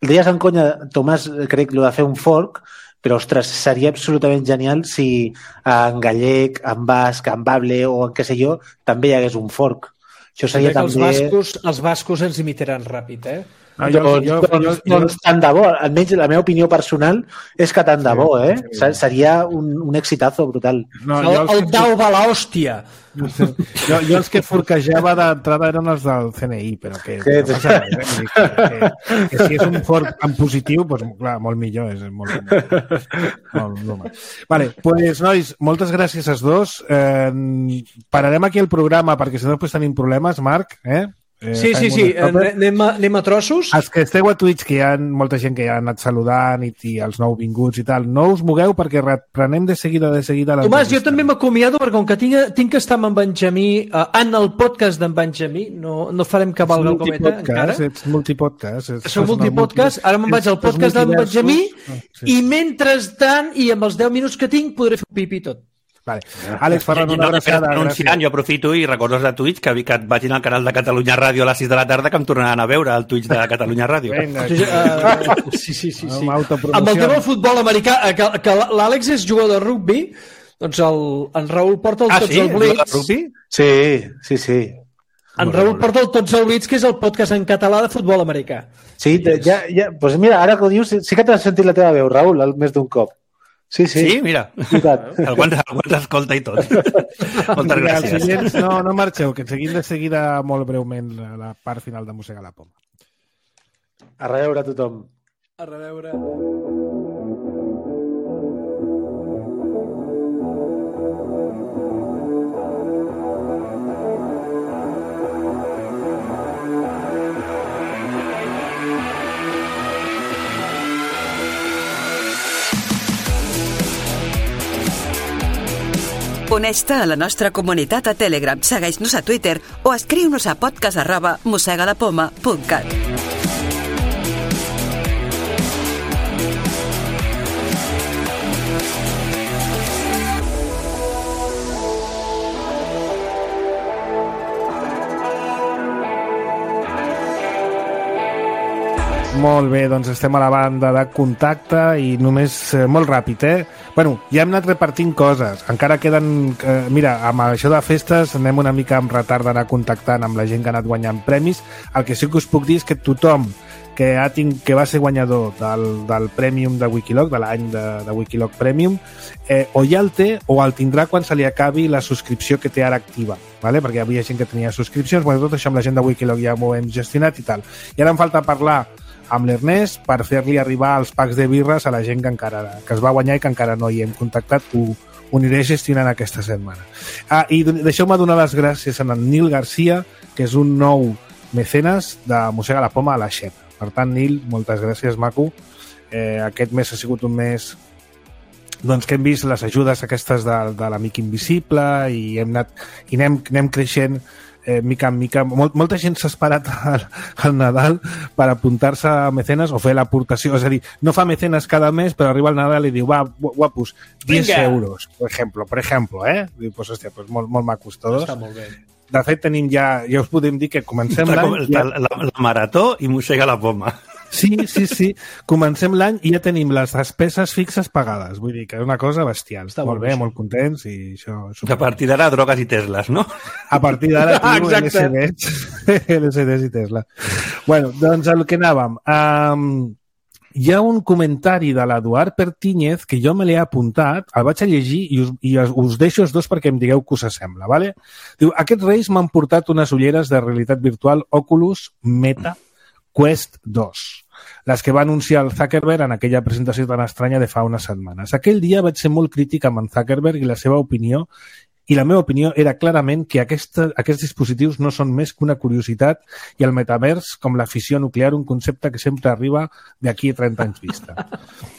deies en conya, Tomàs, crec, lo de fer un fork, però, ostres, seria absolutament genial si en gallec, en basc, en bable o en què sé jo, també hi hagués un fork. Això seria també... Els bascos, els bascos ens imitaran ràpid, eh? No, jo, doncs, jo, doncs, jo, jo, doncs tant de bo, almenys la meva opinió personal és que tant de bo, eh? Seria un, un exitazo brutal. no, El, jo els el que- dau va l'hòstia. jo, jo els que forquejava d'entrada eren els del C N I, però que, Sí, que no passa res, eh? Vull dir que, que, que si és un fork en positiu, doncs, clar, molt millor, és molt, molt, molt normal. Vale, pues, nois, moltes gràcies als dos. Eh, pararem aquí el programa perquè si no després tenim problemes, Marc, eh? Eh, Sí, sí, fem sí. un stopper. Anem a, anem a trossos. Els que esteu a Twitch, que hi ha molta gent que ja ha anat saludant i, i els nouvinguts i tal, no us mogueu perquè reprenem de seguida, de seguida Tomàs, jo l'entrevista. també m'acomiado perquè com que tinc, tinc que estar amb en Benjamí uh, en el podcast d'en Benjamí, no, no farem que valga el cometa encara. Ets multipodcast. Ets, Som multipodcast, ara me'n vaig al podcast d'en Benjamí sí. i mentrestant, i amb els deu minuts que tinc, podré fer un pipi i tot. Vale. Àlex Ferran, una No, abraçada. anunciant, gràcies. jo aprofito i recordo de Twitch que, que et vagin al canal de Catalunya Ràdio a les sis de la tarda que em tornaran a veure al Twitch de Catalunya Ràdio. Vinga, Uh, sí, sí, sí. sí. Amb autopromoció. Amb el tema del futbol americà, eh, que, que l'Àlex és jugador de rugby, doncs el, en Raül porta el Ah, Tots sí? el El de Blitz. rugby? Sí, sí, sí. En Raül porta el Tots el Blitz, que és el podcast en català de futbol americà. Sí, de- ja, ja, pues mira, ara que ho dius, sí que t'has sentit la teva veu, Raül, al més d'un cop. Sí, sí. Sí, mira. I tant. Algú ens, algú ens escolta i tot. Moltes Vinga, els gràcies. oients, no, no marxeu, que seguim de seguida molt breument la, la part final de Mossegar la Poma. A reveure a tothom. A reveure. Uneix-te a la nostra comunitat a Telegram, segueix-nos a Twitter o escriu-nos a podcast arroba mossegadapoma punt cat. Molt bé, doncs estem a la banda de contacte i només eh, molt ràpid, eh? Bueno, ja hem anat repartint coses. Encara queden... Eh, mira, amb això de festes anem una mica amb retard d'anar contactant amb la gent que ha anat guanyant premis. El que sí que us puc dir és que tothom que, ha tinc, que va ser guanyador del, del Premium de Wikiloc, de l'any de, de Wikiloc Premium, eh, o ja el té o el tindrà quan se li acabi la subscripció que té ara activa, vale? Perquè hi havia gent que tenia subscripcions. Bueno, tot això amb la gent de Wikiloc ja m'ho hem gestionat i tal. I ara em falta parlar amb l'Ernest per fer-li arribar els packs de birres a la gent que encara que es va guanyar i que encara no hi hem contactat. Ho, ho aniré gestionant aquesta setmana. Ah, i deixeu-me donar les gràcies a en Nil Garcia, que és un nou mecenes de Mossega la Poma a la Xep. Per tant, Nil, moltes gràcies, maco. Eh, aquest mes ha sigut un mes doncs, que hem vist les ajudes aquestes de, de l'Amic Invisible i hem anat i anem, anem creixent eh, mica en mica. Mol, molta gent s'ha esperat al, al Nadal per apuntar-se a mecenes o fer l'aportació. És a dir, no fa mecenes cada mes, però arriba al Nadal i diu, va, guapos, diez euros, per exemple, per exemple, eh? Diu, pues, hòstia, pues, molt, molt macos tots. Està molt bé. De fet, tenim ja, ja us podem dir que comencem La, l'any... la, la, la marató i mossega la poma. Sí, sí, sí. Comencem l'any i ja tenim les despeses fixes pagades. Vull dir que és una cosa bestial. Està molt bé, molt contents i això... A partir d'ara, drogues i Teslas, no? A partir d'ara, tio, L C Ds. L C Ds i Tesla. Bueno, doncs el que anàvem. Um, hi ha un comentari de l'Eduard Pertíñez que jo me l'he apuntat, el vaig a llegir i us, i us deixo els dos perquè em digueu què us sembla. Vale? Diu, aquests reis m'han portat unes ulleres de realitat virtual Oculus Meta Quest dos, les que va anunciar el Zuckerberg en aquella presentació tan estranya de fa unes setmanes. Aquell dia vaig ser molt crític amb en Zuckerberg i la seva opinió, i la meva opinió era clarament que aquesta, aquests dispositius no són més que una curiositat i el metavers com la fissió nuclear, un concepte que sempre arriba d'aquí a trenta anys vista.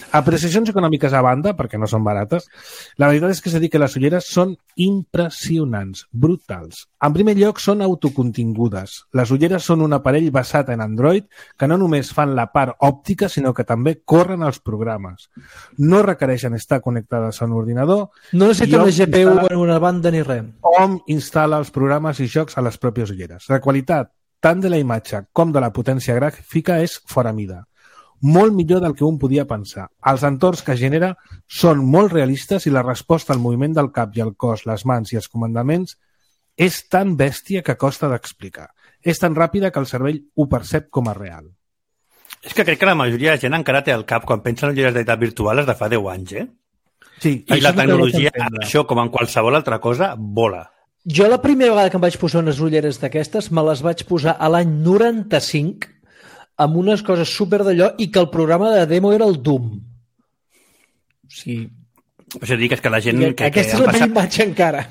Apreciacions econòmiques a banda, perquè no són barates, la veritat és que s'ha dit que les ulleres són impressionants, brutals. En primer lloc, són autocontingudes. Les ulleres són un aparell basat en Android que no només fan la part òptica, sinó que també corren els programes. No requereixen estar connectades a un ordinador. No necessiten una G P U en una banda ni res. Hom instal·la els programes i jocs a les pròpies ulleres. La qualitat tant de la imatge com de la potència gràfica és fora mida. Molt millor del que un podia pensar. Els entorns que genera són molt realistes i la resposta al moviment del cap i el cos, les mans i els comandaments és tan bèstia que costa d'explicar. És tan ràpida que el cervell ho percep com a real. És que crec que la majoria de gent encara té al cap quan pensa en ulleres de realitat virtual de fa deu anys, eh? Sí, i la tecnologia, això com en qualsevol altra cosa, vola. Jo la primera vegada que em vaig posar unes ulleres d'aquestes me les vaig posar a l'any noranta-cinc amb unes coses super d'allò i que el programa de demo era el Doom. O sigui... O sigui, que és que la gent... Que, aquesta és la meva imatge encara.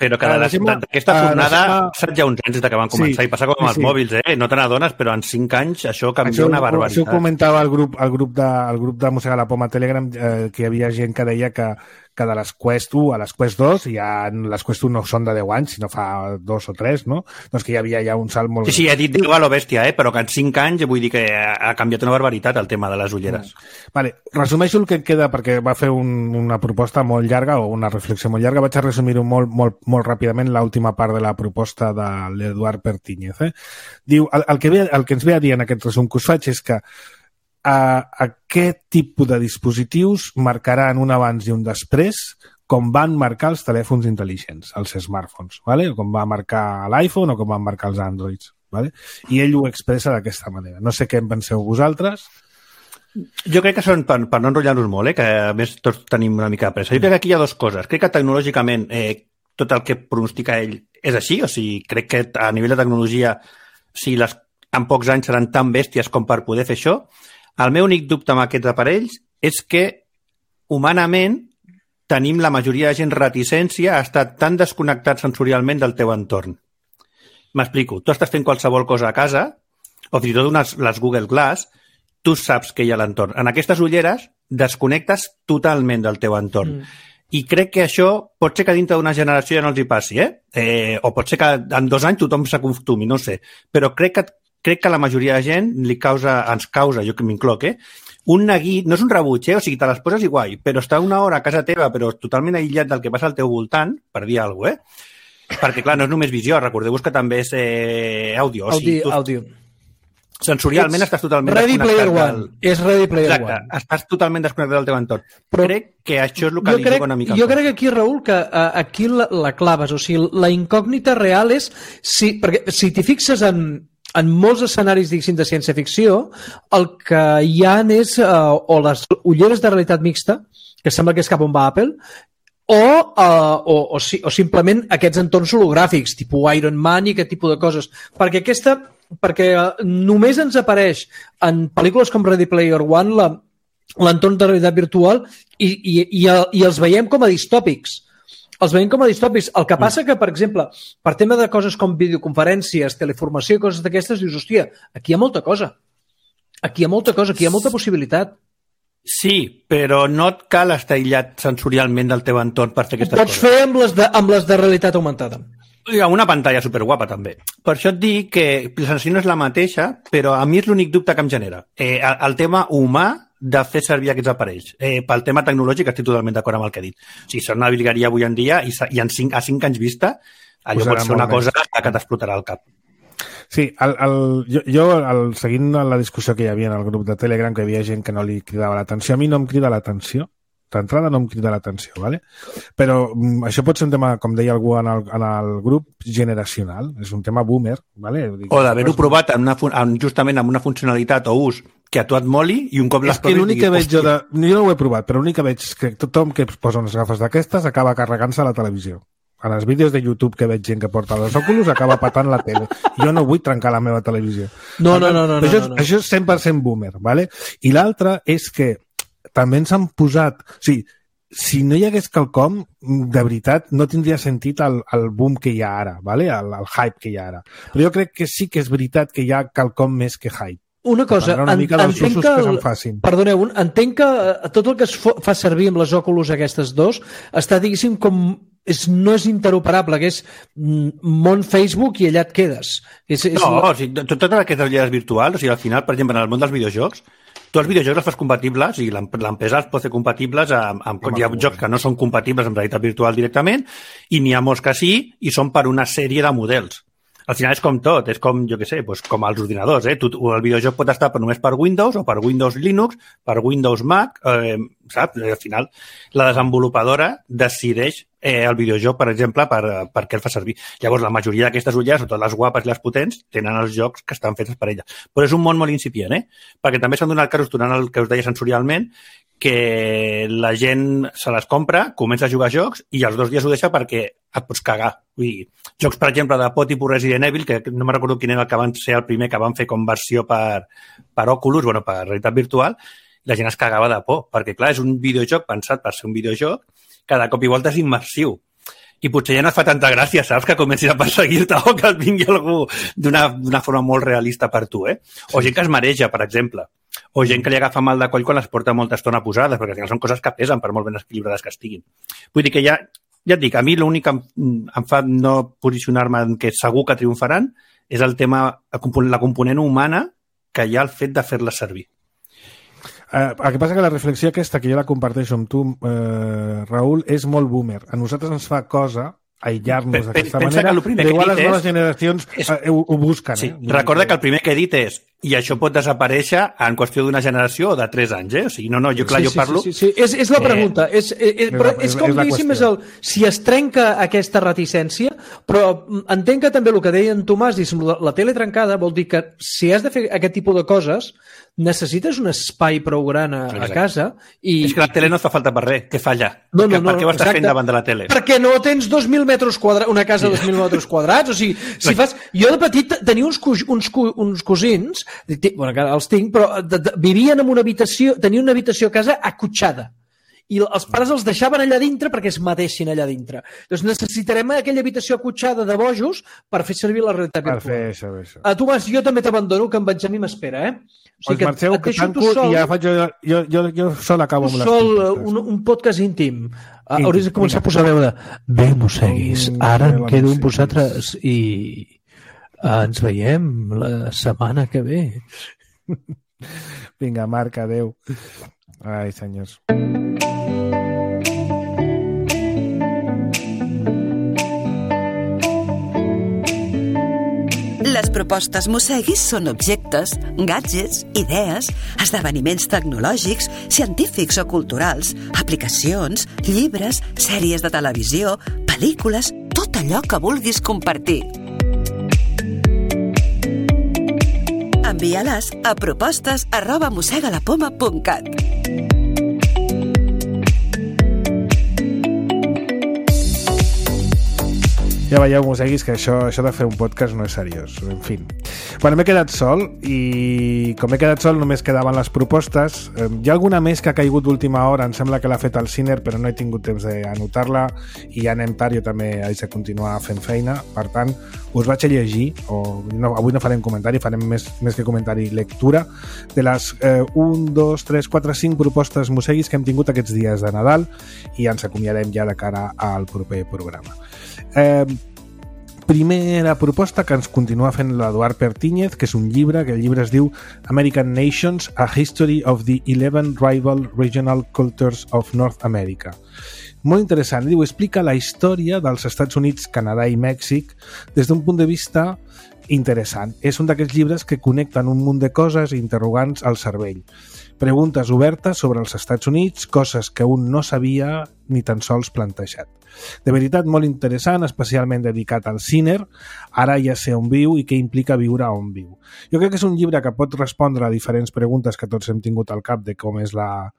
Però que d'aquesta fornada saps ja uns anys des que van començar, sí, i passa com amb els sí. mòbils, eh? No te n'adones, però en cinc anys això canvia això, una barbaritat. Això ho comentava el grup, el grup de, el grup de Mossegar la Poma Telegram, eh, que hi havia gent que deia que, que de les Quest u a les Quest dos, ja les Quest u no són de deu anys, sinó fa dos o tres, no? Doncs que hi havia ja un salt molt... Sí, sí, he dit deu a lo bèstia, eh? Però que en cinc anys vull dir que ha canviat una barbaritat el tema de les ulleres. Mm. Vale, resumeixo el que queda, perquè va fer un, una proposta molt llarga o una reflexió molt llarga, vaig a resumir-ho molt, molt, molt ràpidament, l'última part de la proposta de l'Eduard Pertíñez. Eh? Diu, el, el, que ve, el que ens ve a dir en aquest resum que us faig és que a aquest tipus de dispositius marcaran un abans i un després com van marcar els telèfons intel·ligents, els smartphones, ¿vale? Com va marcar l'iPhone o com van marcar els Androids. ¿Vale? I ell ho expressa d'aquesta manera. No sé què en penseu vosaltres. Jo crec que són, per, per no enrotllar-nos molt, eh, que a més tots tenim una mica de pressa, jo crec que aquí hi ha dues coses. Crec que tecnològicament eh, tot el que pronostica ell és així, o sigui, crec que a nivell de tecnologia, si les en pocs anys seran tan bèsties com per poder fer això. El meu únic dubte amb aquests aparells és que, humanament, tenim la majoria de gent reticència a estar tan desconnectat sensorialment del teu entorn. M'explico. Tu estàs fent qualsevol cosa a casa, o fins i tot unes, les Google Glass, tu saps que hi ha a l'entorn. En aquestes ulleres desconnectes totalment del teu entorn. Mm. I crec que això pot ser que dintre d'una generació ja no els hi passi, eh? eh o pot ser que en dos anys tothom s'acostumi, no sé. Però crec que crec que la majoria de gent li causa, ens causa, jo que m'incloc, eh? Un neguit, no és un rebuig, eh? O sigui, te les poses igual, però estar una hora a casa teva, però totalment aïllat del que passa al teu voltant, per dir alguna cosa, eh? Perquè, clar, no és només visió, recordeu-vos que també és eh, àudio. O sigui, àudio, tu... àudio. Sensorialment estàs totalment Ready desconnectat. Player One. Del... És Ready Player Exacte, One. estàs totalment desconnectat del teu entorn. Però crec que això és el que li diu una mica. Jo crec que aquí, Raül, que uh, aquí la, la claves, o sigui, la incògnita real és, si, perquè si t'hi fixes en, en molts escenaris, diguéssim, de ciència-ficció, el que hi ha és uh, o les ulleres de realitat mixta, que sembla que és cap on va Apple, o, uh, o, o, si, o simplement aquests entorns hologràfics, tipus Iron Man i aquest tipus de coses. Perquè aquesta, perquè uh, només ens apareix en pel·lícules com Ready Player One la, l'entorn de realitat virtual i, i, i, i els veiem com a distòpics. Els veiem com a distòpics. El que passa que, per exemple, per tema de coses com videoconferències, teleformació i coses d'aquestes, dius, hòstia, aquí hi ha molta cosa. Aquí hi ha molta cosa, aquí hi ha molta possibilitat. Sí, però no et cal estar aïllat sensorialment del teu entorn per fer aquestes coses. Ho pots fer amb les, de, amb les de realitat augmentada. Amb una pantalla superguapa, també. Per això et dic que la sensació no és la mateixa, però a mi és l'únic dubte que em genera. Eh, el, el tema humà de fer servir aquests aparells. Eh, pel tema tecnològic estic totalment d'acord amb el que he dit. O sigui, són una virgueria avui en dia i, i en cinc, a cinc anys vista allò pot ser una cosa que t'explotarà al cap. Sí, el, el, jo, jo el, seguint la discussió que hi havia en el grup de Telegram, que hi havia gent que no li cridava l'atenció, a mi no em crida l'atenció, d'entrada no em crida l'atenció, ¿vale? Però mm, això pot ser un tema, com deia algú en el, en el grup, generacional, és un tema boomer, ¿vale? O d'haver-ho provat en una, en, justament amb una funcionalitat o ús que a tu et moli i un cop les proves... És que l'únic que veig jo de... Jo no ho he provat, però l'únic que veig és que tothom que posa unes gafes d'aquestes acaba carregant-se a la televisió. En els vídeos de YouTube que veig gent que porta els Oculus acaba patant la tele. Jo no vull trencar la meva televisió. No, no, no. no, no, això, no, no. això és cent per cent boomer, ¿vale? I l'altre és que també ens han posat... O sigui, si no hi hagués quelcom, de veritat, no tindria sentit el, el boom que hi ha ara, ¿vale? el, el hype que hi ha ara. Però jo crec que sí que és veritat que hi ha quelcom més que hype. Una cosa, una mica en, entenc que, que perdoneu, entenc que tot el que es fa servir amb les Oculus aquestes dos està, diguéssim, com és, no és interoperable, que és món Facebook i allà et quedes. És, és no, la... o sigui, totes aquestes realitats virtuals, o sigui, al final, per exemple, en el món dels videojocs, tu els videojocs els fas compatibles, o sigui, l'empresa els pot fer compatibles amb, amb, amb hi ha jocs que no són compatibles amb realitat virtual directament, i n'hi ha molts que sí, i són per una sèrie de models. Al final és com tot, és com, jo què sé, doncs com els ordinadors, eh? Tu, el videojoc pot estar només per Windows o per Windows Linux, per Windows Mac, eh, saps? Al final la desenvolupadora decideix eh, el videojoc, per exemple, per, per què el fa servir. Llavors, la majoria d'aquestes ulleres, sobretot les guapes i les potents, tenen els jocs que estan fets per elles. Però és un món molt incipient, eh? Perquè també s'han donat casos, durant el que us deia sensorialment, que la gent se les compra, comença a jugar a jocs i als dos dies ho deixa perquè et pots cagar. Vull dir, jocs, per exemple, de por tipus Resident Evil, que no me'n recordo quin era el que van ser el primer que van fer com versió per, per Oculus, bueno, per realitat virtual, la gent es cagava de por, perquè, clar, és un videojoc pensat per ser un videojoc, cada cop i volta és immersiu. I potser ja no et fa tanta gràcia, saps, que comencis a perseguir-te o que et vingui algú d'una forma molt realista per tu, eh? O gent que es mareja, per exemple. O gent que li agafa mal de coll quan les porta molta estona posades, perquè al final són coses que pesen per molt ben equilibrades que estiguin. Vull dir que ja, ja et dic, a mi l'únic que em, em fa no posicionar-me en que segur que triomfaran és el tema, la component humana que hi ha el fet de fer-la servir. Uh, el que passa que la reflexió aquesta, que jo la comparteixo amb tu, uh, Raül, és molt boomer. A nosaltres ens fa cosa aïllar-nos d'aquesta manera, igual les noves generacions és... uh, ho, ho busquen. Sí. Eh? Recorda que el primer que he dit és i això pot desaparèixer en qüestió d'una generació o de tres anys, eh? O sigui, no, no, jo clar, sí, jo parlo... Sí, sí, sí. És, és la pregunta. Eh... És, és, és, però és, és com diguéssim, és el, si es trenca aquesta reticència, però entenc que també el que deia en Tomàs, la, la tele trencada vol dir que si has de fer aquest tipus de coses, necessites un espai prou gran a, a casa i... És que la tele no et fa falta per res, que falla. No, no, no, per què ho estàs exacte. fent davant de la tele? Perquè no tens dos mil metres quadrats, una casa de dos mil metres quadrats, o sigui, si fas... Jo de petit tenia uns, cu... uns, cu... uns cosins, bueno, que els tinc, però de, de, vivien en una habitació, tenien una habitació a casa acotxada. I els pares els deixaven allà dintre perquè es matessin allà dintre. Doncs necessitarem aquella habitació acotxada de bojos per fer servir la realitat virtual. Per fer això, això. A Tomàs, jo també t'abandono, que en Benjamí m'espera, eh? O sigui, pues marxeu, que tanco sol, i ja faig jo, jo, jo, jo sol acabo amb les sol, un, un podcast íntim. íntim. Hauries de començar a posar veu de bé, mosseguis, ara em quedo amb vosaltres i ens veiem la setmana que ve. Vinga, Marc, adeu. Ai, senyors. Les propostes Mosseguis són objectes, gadgets, idees, esdeveniments tecnològics, científics o culturals, aplicacions, llibres, sèries de televisió, pel·lícules, tot allò que vulguis compartir. Envia-les a propostes arroba mossegalapoma punt cat. Ja veieu, mosseguis, que això, això de fer un podcast no és seriós. En fi. Bueno, m'he quedat sol i com he quedat sol només quedaven les propostes. Hi ha alguna més que ha caigut d'última hora, em sembla que l'ha fet el Ciner, però no he tingut temps d'anotar-la i ja anem tard, jo també haig de continuar fent feina. Per tant, us vaig a llegir, o no, avui no farem comentari, farem més, més que comentari, lectura de les eh, un, dos, tres, quatre, cinc propostes mosseguis que hem tingut aquests dies de Nadal i ens acomiadem ja de cara al proper programa. Eh, primera proposta que ens continua fent l'Eduard Pertíñez, que és un llibre, que el llibre es diu American Nations, A History of the eleven Rival Regional Cultures of North America. Molt interessant, diu, explica la història dels Estats Units, Canadà i Mèxic des d'un punt de vista interessant. És un d'aquests llibres que connecten un munt de coses interrogants al cervell. Preguntes obertes sobre els Estats Units, coses que un no sabia ni tan sols plantejat. De veritat, molt interessant, especialment dedicat al Sinner, ara ja sé on viu i què implica viure on viu. Jo crec que és un llibre que pot respondre a diferents preguntes que tots hem tingut al cap de com és la...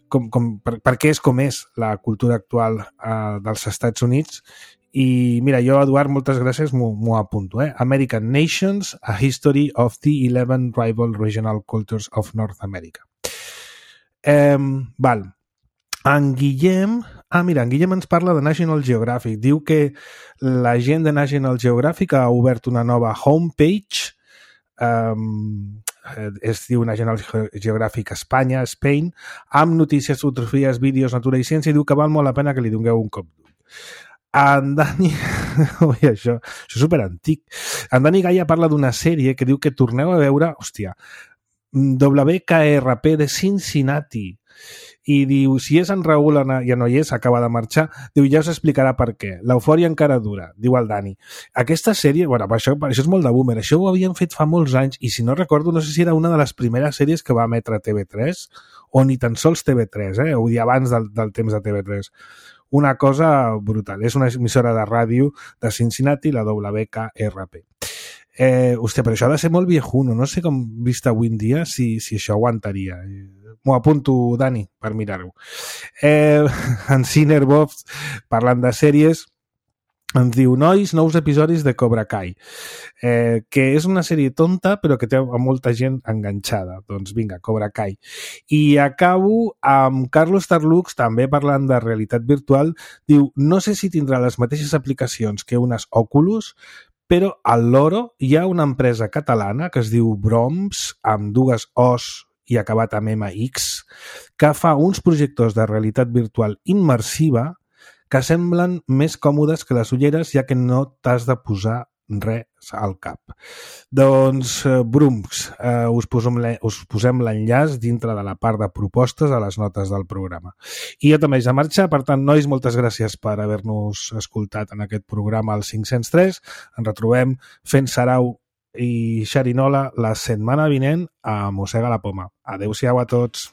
Com, com, per, per què és com és la cultura actual eh, dels Estats Units. I mira, jo, Eduard, moltes gràcies, m'ho apunto. Eh? American Nations, A History of the eleven Rival Regional Cultures of North America. Eh, val. En Guillem... Ah, mira, en Guillem ens parla de National Geographic. Diu que la gent de National Geographic ha obert una nova homepage, um, es diu National Geographic Espanya, Spain, amb notícies, fotografies, vídeos, natura i ciència, i diu que val molt la pena que li dongueu un cop d'ull. En Dani... Ui, això, això és superantic. En Dani Gaia parla d'una sèrie que diu que torneu a veure, hòstia, W K R P de Cincinnati, i diu, si és en Raül, ja no hi és, acaba de marxar, diu, ja us explicarà per què. L'eufòria encara dura, diu el Dani. Aquesta sèrie, bueno, això, això és molt de boomer, això ho havien fet fa molts anys, i si no recordo, no sé si era una de les primeres sèries que va emetre T V tres, o ni tan sols T V tres, eh? Vull dir, abans del, del temps de T V tres. Una cosa brutal. És una emissora de ràdio de Cincinnati, la W K R P. Eh, hòstia, però això ha de ser molt viejuno. No sé com vist avui en dia si, si això aguantaria. M'ho apunto, Dani, per mirar-ho. Eh, en Cinerbobs, parlant de sèries, ens diu, nois, nous episodis de Cobra Kai, eh, que és una sèrie tonta però que té molta gent enganxada. Doncs vinga, Cobra Kai. I acabo amb Carlos Tarlux, també parlant de realitat virtual, diu, no sé si tindrà les mateixes aplicacions que unes Oculus, però al Loro hi ha una empresa catalana que es diu Broms, amb dues O's i acabat amb M X, que fa uns projectors de realitat virtual immersiva que semblen més còmodes que les ulleres, ja que no t'has de posar res al cap. Doncs, eh, Brums, eh, us posem, us posem l'enllaç dintre de la part de propostes a les notes del programa. I jo també haig de marxar, per tant, nois, moltes gràcies per haver-nos escoltat en aquest programa al cinc-cents tres. Ens retrobem fent sarau i xerinola la setmana vinent a Mossega la Poma. Adéu-siau a tots.